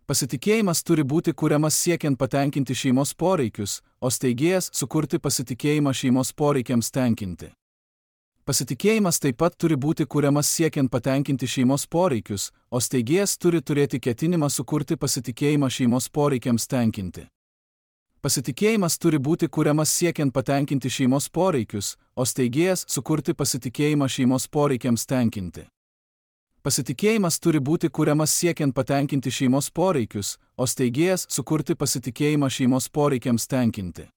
Pasitikėjimas turi būti kuriamas siekiant patenkinti šeimos poreikius, o steigėjas sukurti pasitikėjimą šeimos poreikiams tenkinti. Pasitikėjimas taip pat turi būti kuriamas siekiant patenkinti šeimos poreikius, o steigėjas turi turėti ketinimą sukurti pasitikėjimą šeimos poreikiams tenkinti. Pasitikėjimas turi būti kuriamas siekiant patenkinti šeimos poreikius, o steigėjas sukurti pasitikėjimą šeimos poreikiams tenkinti. Pasitikėjimas turi būti kuriamas siekiant patenkinti šeimos poreikius, o steigėjas sukurti pasitikėjimą šeimos poreikiams tenkinti.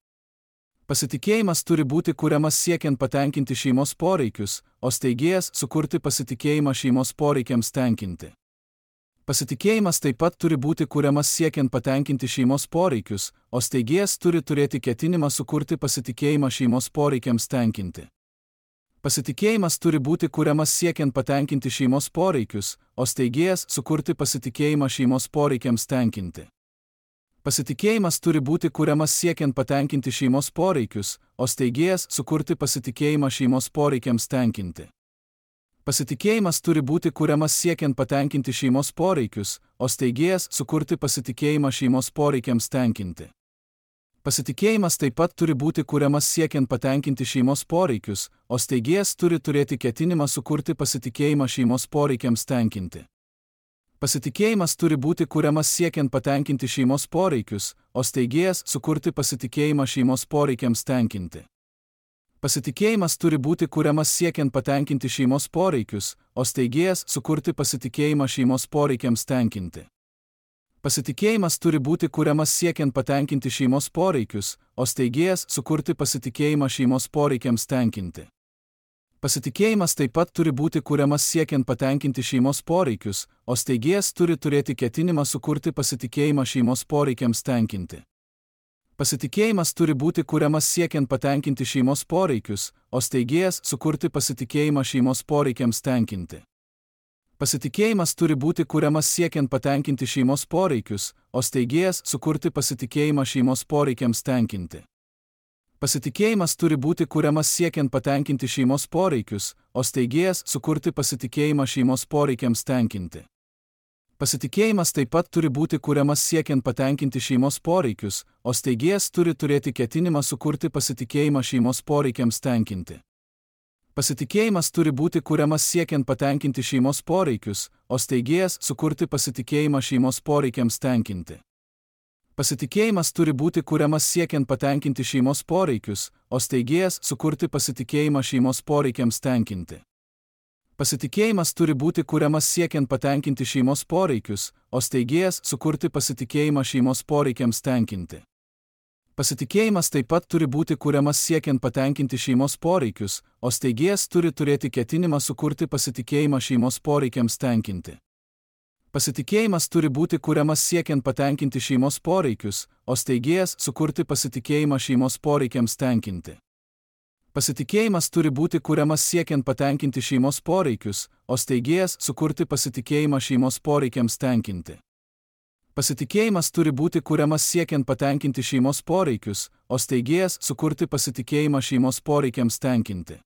Pasitikėjimas turi būti kuriamas siekiant patenkinti šeimos poreikius, o steigėjas sukurti pasitikėjimą šeimos poreikiams tenkinti. Pasitikėjimas taip pat turi būti kuriamas siekiant patenkinti šeimos poreikius, o steigėjas turi turėti ketinimą sukurti pasitikėjimą šeimos poreikiams tenkinti. Pasitikėjimas turi būti kuriamas siekiant patenkinti šeimos poreikius, o steigėjas sukurti pasitikėjimą šeimos poreikiams tenkinti. Pasitikėjimas turi būti kuriamas siekiant patenkinti šeimos poreikius, o steigėjas sukurti pasitikėjimą šeimos poreikiams tenkinti. Pasitikėjimas turi būti kuriamas siekiant patenkinti šeimos poreikius, o steigėjas sukurti pasitikėjimą šeimos poreikiams tenkinti. Pasitikėjimas taip pat turi būti kuriamas siekiant patenkinti šeimos poreikius, o steigėjas turi turėti ketinimą sukurti pasitikėjimą šeimos poreikiams tenkinti. Pasitikėjimas turi būti kuriamas siekiant patenkinti šeimos poreikius, o steigėjas sukurti pasitikėjimą šeimos poreikiams tenkinti. Pasitikėjimas turi būti kuriamas siekiant patenkinti šeimos poreikius, o steigėjas sukurti pasitikėjimą šeimos poreikiams tenkinti. Pasitikėjimas turi būti kuriamas siekiant patenkinti šeimos poreikius, o steigėjas sukurti pasitikėjimą šeimos poreikiams tenkinti. Pasitikėjimas taip pat turi būti kuriamas siekiant patenkinti šeimos poreikius, o steigėjas turi turėti ketinimą sukurti pasitikėjimą šeimos poreikiams tenkinti. Pasitikėjimas turi būti kuriamas siekiant patenkinti šeimos poreikius, o steigėjas sukurti pasitikėjimą šeimos poreikiams tenkinti. Pasitikėjimas turi būti kuriamas siekiant patenkinti šeimos poreikius, o steigėjas sukurti pasitikėjimą šeimos poreikiams tenkinti. Pasitikėjimas turi būti kuriamas siekiant patenkinti šeimos poreikius, o steigėjas sukurti pasitikėjimą šeimos poreikiams tenkinti. Pasitikėjimas taip pat turi būti kuriamas siekiant patenkinti šeimos poreikius, o steigėjas turi turėti ketinimą sukurti pasitikėjimą šeimos poreikiams tenkinti. Pasitikėjimas turi būti kuriamas siekiant patenkinti šeimos poreikius, o steigėjas sukurti pasitikėjimą šeimos poreikiams tenkinti. Pasitikėjimas turi būti kuriamas siekiant patenkinti šeimos poreikius, o steigėjas sukurti pasitikėjimą šeimos poreikiams tenkinti. Pasitikėjimas turi būti kuriamas siekiant patenkinti šeimos poreikius, o steigėjas sukurti pasitikėjimą šeimos poreikiams tenkinti. Pasitikėjimas taip pat turi būti kuriamas siekiant patenkinti šeimos poreikius, o steigėjas turi turėti ketinimą sukurti pasitikėjimą šeimos poreikiams tenkinti. Pasitikėjimas turi būti kuriamas siekiant patenkinti šeimos poreikius, o steigėjas sukurti pasitikėjimą šeimos poreikiams tenkinti. Pasitikėjimas turi būti kuriamas siekiant patenkinti šeimos poreikius, o steigėjas sukurti pasitikėjimą šeimos poreikiams tenkinti. Pasitikėjimas turi būti kuriamas siekiant patenkinti šeimos poreikius, o steigėjas sukurti pasitikėjimą šeimos poreikiams tenkinti.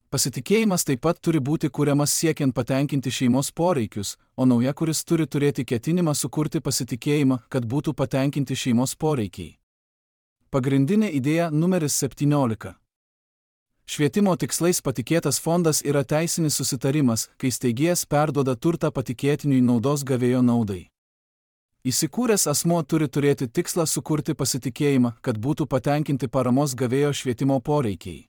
Pasitikėjimas taip pat turi būti kuriamas siekiant patenkinti šeimos poreikius, o nauja, kuris turi turėti ketinimą sukurti pasitikėjimą, kad būtų patenkinti šeimos poreikiai. Pagrindinė idėja numeris septyniolika. Švietimo tikslais patikėtas fondas yra teisinis susitarimas, kai steigėjas perduoda turtą patikėtiniui naudos gavėjo naudai. Įsikūręs asmuo turi turėti tikslą sukurti pasitikėjimą, kad būtų patenkinti paramos gavėjo švietimo poreikiai.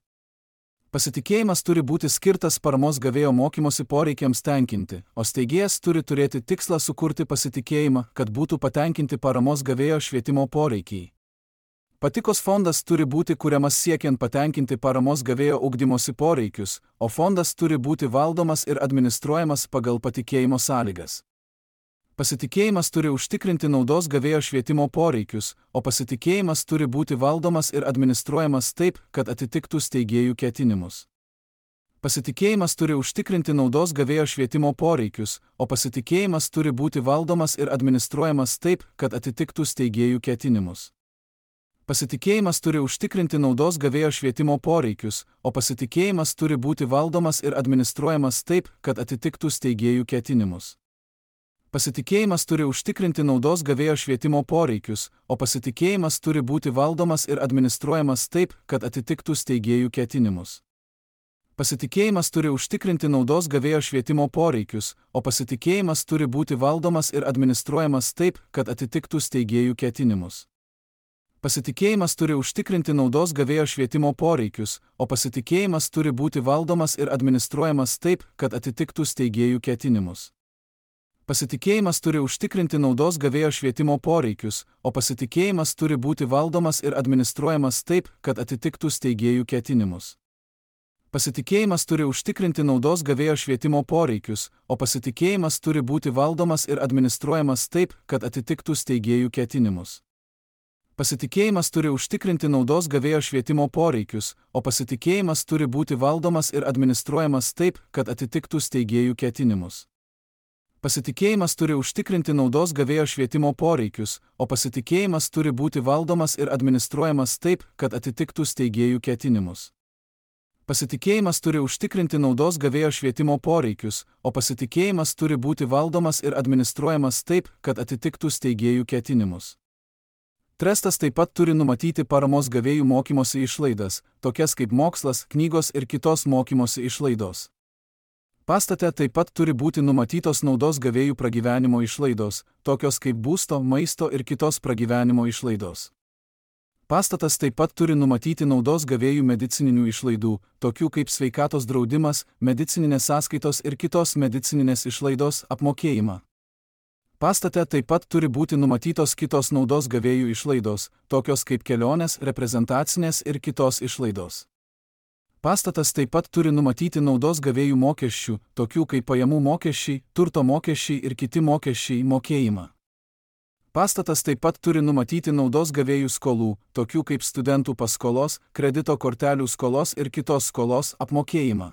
Pasitikėjimas turi būti skirtas paramos gavėjo mokymosi poreikiams tenkinti, o steigėjas turi turėti tikslą sukurti pasitikėjimą, kad būtų patenkinti paramos gavėjo švietimo poreikiai. Patikos fondas turi būti kuriamas siekiant patenkinti paramos gavėjo ugdymosi poreikius, o fondas turi būti valdomas ir administruojamas pagal patikėjimo sąlygas. Pasitikėjimas turi užtikrinti naudos gavėjo švietimo poreikius, o pasitikėjimas turi būti valdomas ir administruojamas taip, kad atitiktų steigėjų ketinimus. Pasitikėjimas turi užtikrinti naudos gavėjo švietimo poreikius, o pasitikėjimas turi būti valdomas ir administruojamas taip, kad atitiktų steigėjų ketinimus. Pasitikėjimas turi užtikrinti naudos gavėjo švietimo poreikius, o pasitikėjimas turi būti valdomas ir administruojamas taip, kad atitiktų steigėjų ketinimus. Pasitikėjimas turi užtikrinti naudos gavėjo švietimo poreikius, o pasitikėjimas turi būti valdomas ir administruojamas taip, kad atitiktų steigėjų ketinimus. Pasitikėjimas turi užtikrinti naudos gavėjo švietimo poreikius, o pasitikėjimas turi būti valdomas ir administruojamas taip, kad atitiktų steigėjų ketinimus. Pasitikėjimas turi užtikrinti naudos gavėjo švietimo poreikius, o pasitikėjimas turi būti valdomas ir administruojamas taip, kad atitiktų steigėjų ketinimus. Pasitikėjimas turi užtikrinti naudos gavėjo švietimo poreikius, o pasitikėjimas turi būti valdomas ir administruojamas taip, kad atitiktų steigėjų ketinimus. Pasitikėjimas turi užtikrinti naudos gavėjo švietimo poreikius, o pasitikėjimas turi būti valdomas ir administruojamas taip, kad atitiktų steigėjų ketinimus. Pasitikėjimas turi užtikrinti naudos gavėjo švietimo poreikius, o pasitikėjimas turi būti valdomas ir administruojamas taip, kad atitiktų steigėjų ketinimus. Pasitikėjimas turi užtikrinti naudos gavėjo švietimo poreikius, o pasitikėjimas turi būti valdomas ir administruojamas taip, kad atitiktų steigėjų ketinimus. Pasitikėjimas turi užtikrinti naudos gavėjo švietimo poreikius, o pasitikėjimas turi būti valdomas ir administruojamas taip, kad atitiktų steigėjų ketinimus. Trestas taip pat turi numatyti paramos gavėjų mokymosi išlaidas, tokias kaip mokslas, knygos ir kitos mokymosi išlaidos. Pastate taip pat turi būti numatytos naudos gavėjų pragyvenimo išlaidos, tokios kaip būsto, maisto ir kitos pragyvenimo išlaidos. Pastatas taip pat turi numatyti naudos gavėjų medicininių išlaidų, tokių kaip sveikatos draudimas, medicininės sąskaitos ir kitos medicininės išlaidos apmokėjimą. Pastate taip pat turi būti numatytos kitos naudos gavėjų išlaidos, tokios kaip kelionės, reprezentacinės ir kitos išlaidos. Pastatas taip pat turi numatyti naudos gavėjų mokesčių, tokių kaip pajamų mokesčiai, turto mokesčiai ir kiti mokesčiai mokėjimą. Pastatas taip pat turi numatyti naudos gavėjų skolų, tokių kaip studentų paskolos, kredito kortelių skolos ir kitos skolos apmokėjimą.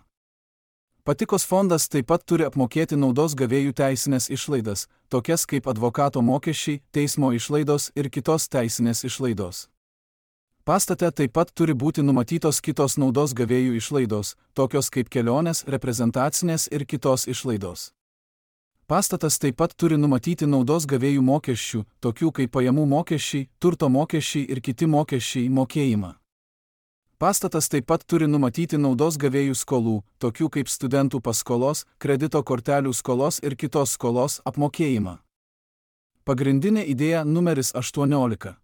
Patikos fondas taip pat turi apmokėti naudos gavėjų teisinės išlaidas, tokias kaip advokato mokesčiai, teismo išlaidos ir kitos teisinės išlaidos. Pastate taip pat turi būti numatytos kitos naudos gavėjų išlaidos, tokios kaip kelionės, reprezentacinės ir kitos išlaidos. Pastatas taip pat turi numatyti naudos gavėjų mokesčių, tokių kaip pajamų mokesčiai, turto mokesčiai ir kiti mokesčiai mokėjimą. Pastatas taip pat turi numatyti naudos gavėjų skolų, tokių kaip studentų paskolos, kredito kortelių skolos ir kitos skolos apmokėjimą. Pagrindinė idėja numeris aštuoniolika.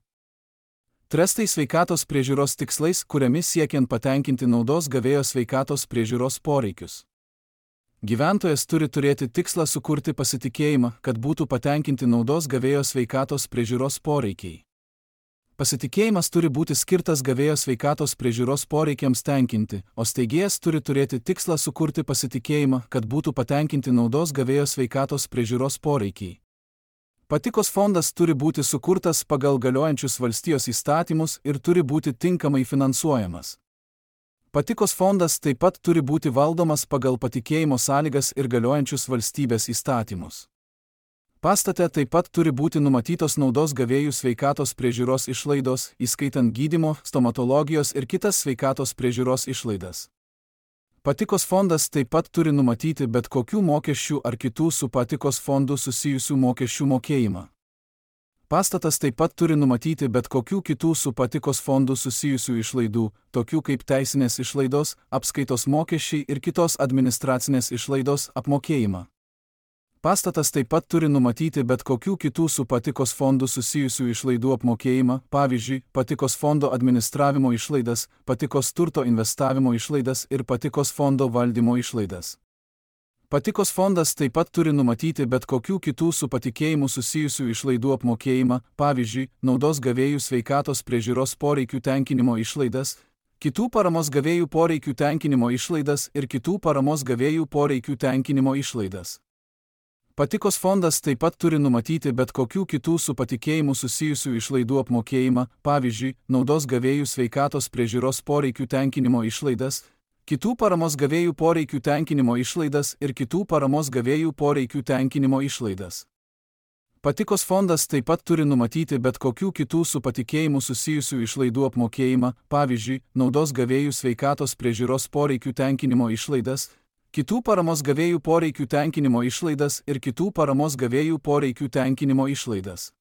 Trestai sveikatos priežiūros tikslais, kuriami siekiant patenkinti naudos gavėjo sveikatos priežiūros poreikius. Gyventojas turi turėti tikslą sukurti pasitikėjimą, kad būtų patenkinti naudos gavėjo sveikatos priežiūros poreikiai. Pasitikėjimas turi būti skirtas gavėjo sveikatos priežiūros poreikiams tenkinti, o steigėjas turi turėti tikslą sukurti pasitikėjimą, kad būtų patenkinti naudos gavėjo sveikatos priežiūros poreikiai. Patikos fondas turi būti sukurtas pagal galiojančius valstijos įstatymus ir turi būti tinkamai finansuojamas. Patikos fondas taip pat turi būti valdomas pagal patikėjimo sąlygas ir galiojančius valstybės įstatymus. Pastate taip pat turi būti numatytos naudos gavėjų sveikatos priežiūros išlaidos, įskaitant gydymo, stomatologijos ir kitas sveikatos priežiūros išlaidas. Patikos fondas taip pat turi numatyti bet kokių mokesčių ar kitų su patikos fondu susijusių mokesčių mokėjimą. Pastatas taip pat turi numatyti bet kokių kitų su patikos fondu susijusių išlaidų, tokių kaip teisinės išlaidos, apskaitos mokesčiai ir kitos administracinės išlaidos apmokėjimą. Pastatas taip pat turi numatyti bet kokių kitų su patikos fondu susijusių išlaidų apmokėjimą, pavyzdžiui, patikos fondo administravimo išlaidas, patikos turto investavimo išlaidas ir patikos fondo valdymo išlaidas. Patikos fondas taip pat turi numatyti bet kokių kitų su patikėjimu susijusių išlaidų apmokėjimą, pavyzdžiui, naudos gavėjų sveikatos priežiūros poreikių tenkinimo išlaidas, kitų paramos gavėjų poreikių tenkinimo išlaidas ir kitų paramos gavėjų poreikių tenkinimo išlaidas. Patikos fondas taip pat turi numatyti bet kokių kitų su patikėjimu susijusių išlaidų apmokėjimą, pavyzdžiui, naudos gavėjų sveikatos priežiūros poreikių tenkinimo išlaidas, kitų paramos gavėjų poreikių tenkinimo išlaidas ir kitų paramos gavėjų poreikių tenkinimo išlaidas. Patikos fondas taip pat turi numatyti bet kokių kitų su patikėjimu susijusių išlaidų apmokėjimą, pavyzdžiui, naudos gavėjų sveikatos priežiūros poreikių tenkinimo išlaidas, kitų paramos gavėjų poreikių tenkinimo išlaidas ir kitų paramos gavėjų poreikių tenkinimo išlaidas.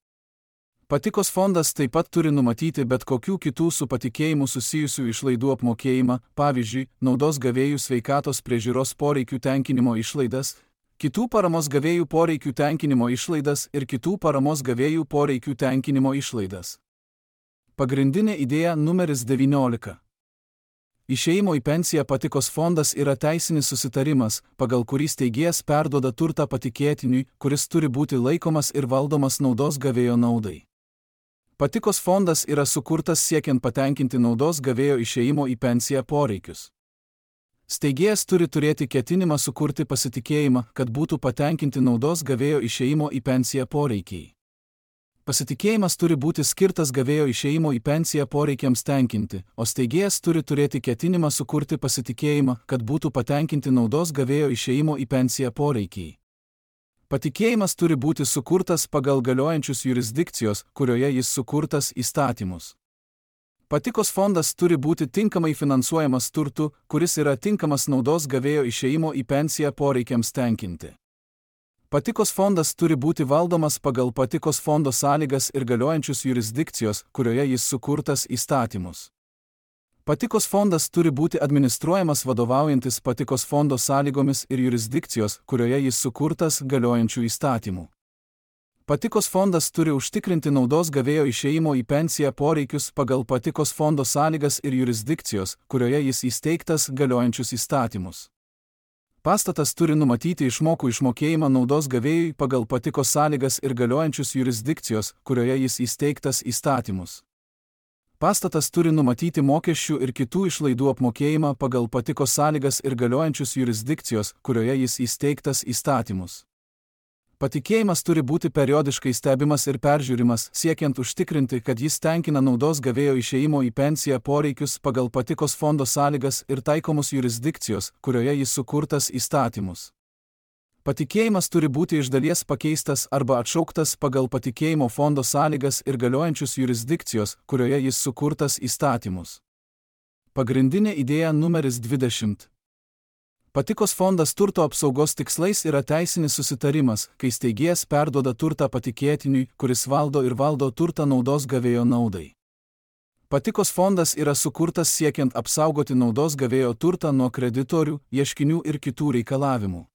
Patikos fondas taip pat turi numatyti bet kokių kitų su patikėjimu susijusių išlaidų apmokėjimą, pavyzdžiui, naudos gavėjų sveikatos priežiūros poreikių tenkinimo išlaidas, kitų paramos gavėjų poreikių tenkinimo išlaidas ir kitų paramos gavėjų poreikių tenkinimo išlaidas. Pagrindinė idėja numeris devyniolika. Išėjimo į pensiją patikos fondas yra teisinis susitarimas, pagal kurį steigėjas perduoda turtą patikėtiniui, kuris turi būti laikomas ir valdomas naudos gavėjo naudai. Patikos fondas yra sukurtas siekiant patenkinti naudos gavėjo išėjimo į pensiją poreikius. Steigėjas turi turėti ketinimą sukurti pasitikėjimą, kad būtų patenkinti naudos gavėjo išėjimo į pensiją poreikiai. Pasitikėjimas turi būti skirtas gavėjo išėjimo į pensiją poreikiams tenkinti, o steigėjas turi turėti ketinimą sukurti pasitikėjimą, kad būtų patenkinti naudos gavėjo išėjimo į pensiją poreikiai. Patikėjimas turi būti sukurtas pagal galiojančius jurisdikcijos, kurioje jis sukurtas, įstatymus. Patikos fondas turi būti tinkamai finansuojamas turtu, kuris yra tinkamas naudos gavėjo išėjimo į pensiją poreikiams tenkinti. Patikos fondas turi būti valdomas pagal patikos fondo sąlygas ir galiojančius jurisdikcijos, kurioje jis sukurtas, įstatymus. Patikos fondas turi būti administruojamas vadovaujantis patikos fondo sąlygomis ir jurisdikcijos, kurioje jis sukurtas, galiojančių įstatymų. Patikos fondas turi užtikrinti naudos gavėjo išėjimo į pensiją poreikius pagal patikos fondo sąlygas ir jurisdikcijos, kurioje jis įsteigtas, galiojančius įstatymus. Pastatas turi numatyti išmokų išmokėjimą naudos gavėjui pagal patikos sąlygas ir galiojančius jurisdikcijos, kurioje jis įsteigtas, įstatymus. Pastatas turi numatyti mokesčių ir kitų išlaidų apmokėjimą pagal patikos sąlygas ir galiojančius jurisdikcijos, kurioje jis įsteigtas, įstatymus. Patikėjimas turi būti periodiškai stebimas ir peržiūrimas, siekiant užtikrinti, kad jis tenkina naudos gavėjo išėjimo į pensiją poreikius pagal patikos fondo sąlygas ir taikomus jurisdikcijos, kurioje jis sukurtas, įstatymus. Patikėjimas turi būti iš dalies pakeistas arba atšauktas pagal patikėjimo fondo sąlygas ir galiojančius jurisdikcijos, kurioje jis sukurtas, įstatymus. Pagrindinė idėja numeris dvidešimt. Patikos fondas turto apsaugos tikslais yra teisinis susitarimas, kai steigėjas perduoda turtą patikėtiniui, kuris valdo ir valdo turtą naudos gavėjo naudai. Patikos fondas yra sukurtas siekiant apsaugoti naudos gavėjo turtą nuo kreditorių, ieškinių ir kitų reikalavimų.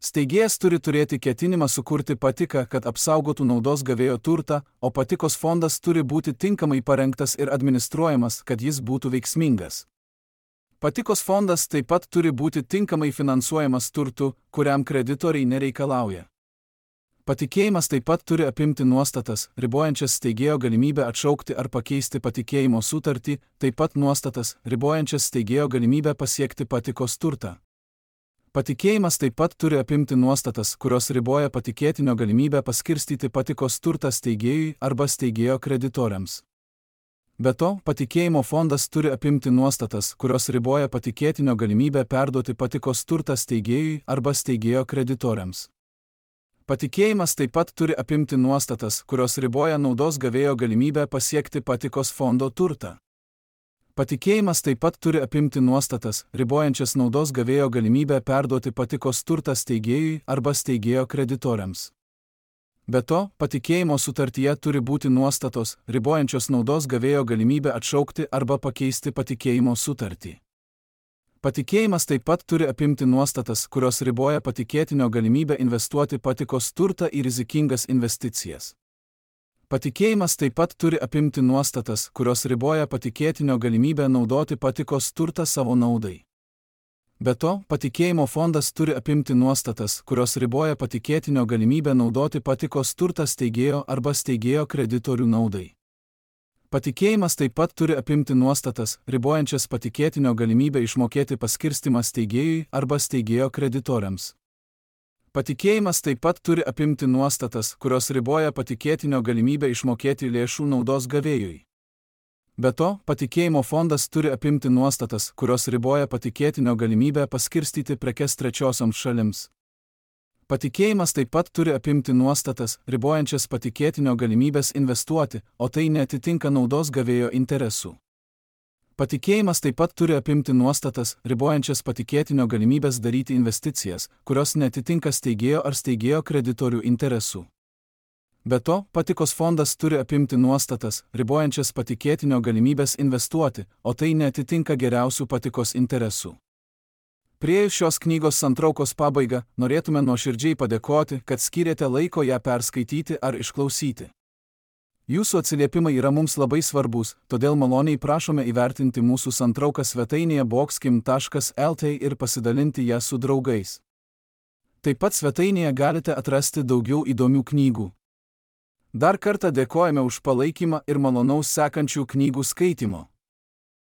Steigėjas turi turėti ketinimą sukurti patiką, kad apsaugotų naudos gavėjo turtą, o patikos fondas turi būti tinkamai parengtas ir administruojamas, kad jis būtų veiksmingas. Patikos fondas taip pat turi būti tinkamai finansuojamas turtu, kuriam kreditoriai nereikalauja. Patikėjimas taip pat turi apimti nuostatas, ribojančias steigėjo galimybę atšaukti ar pakeisti patikėjimo sutartį, taip pat nuostatas, ribojančias steigėjo galimybę pasiekti patikos turtą. Patikėjimas taip pat turi apimti nuostatas, kurios riboja patikėtinio galimybę paskirstyti patikos turtą steigėjui arba steigėjo kreditoriams. Be to, patikėjimo fondas turi apimti nuostatas, kurios riboja patikėtinio galimybę perduoti patikos turtą steigėjui arba steigėjo kreditoriams. Patikėjimas taip pat turi apimti nuostatas, kurios riboja naudos gavėjo galimybę pasiekti patikos fondo turtą. Patikėjimas taip pat turi apimti nuostatas, ribojančias naudos gavėjo galimybę perduoti patikos turtą steigėjui arba steigėjo kreditoriams. Be to, patikėjimo sutartyje turi būti nuostatos, ribojančios naudos gavėjo galimybę atšaukti arba pakeisti patikėjimo sutartį. Patikėjimas taip pat turi apimti nuostatas, kurios riboja patikėtinio galimybę investuoti patikos turtą į rizikingas investicijas. Patikėjimas taip pat turi apimti nuostatas, kurios riboja patikėtinio galimybę naudoti patikos turtą savo naudai. Be to, patikėjimo fondas turi apimti nuostatas, kurios riboja patikėtinio galimybę naudoti patikos turtą steigėjo arba steigėjo kreditorių naudai. Patikėjimas taip pat turi apimti nuostatas, ribojančias patikėtinio galimybę išmokėti paskirstimą steigėjui arba steigėjo kreditoriams. Patikėjimas taip pat turi apimti nuostatas, kurios riboja patikėtinio galimybę išmokėti lėšų naudos gavėjui. Be to, patikėjimo fondas turi apimti nuostatas, kurios riboja patikėtinio galimybę paskirstyti prekes trečiosioms šalims. Patikėjimas taip pat turi apimti nuostatas, ribojančias patikėtinio galimybės investuoti, o tai neatitinka naudos gavėjo interesų. Patikėjimas taip pat turi apimti nuostatas, ribojančias patikėtinio galimybės daryti investicijas, kurios neatitinka steigėjo ar steigėjo kreditorių interesų. Be to, patikos fondas turi apimti nuostatas, ribojančias patikėtinio galimybės investuoti, o tai neatitinka geriausių patikos interesų. Priėjus šios knygos santraukos pabaigą, norėtume nuoširdžiai padėkoti, kad skyrėte laiko ją perskaityti ar išklausyti. Jūsų atsiliepimai yra mums labai svarbus, todėl maloniai prašome įvertinti mūsų santrauką svetainėje boxkim taškas el t ir pasidalinti ją su draugais. Taip pat svetainėje galite atrasti daugiau įdomių knygų. Dar kartą dėkojame už palaikymą ir malonaus sekančių knygų skaitymo.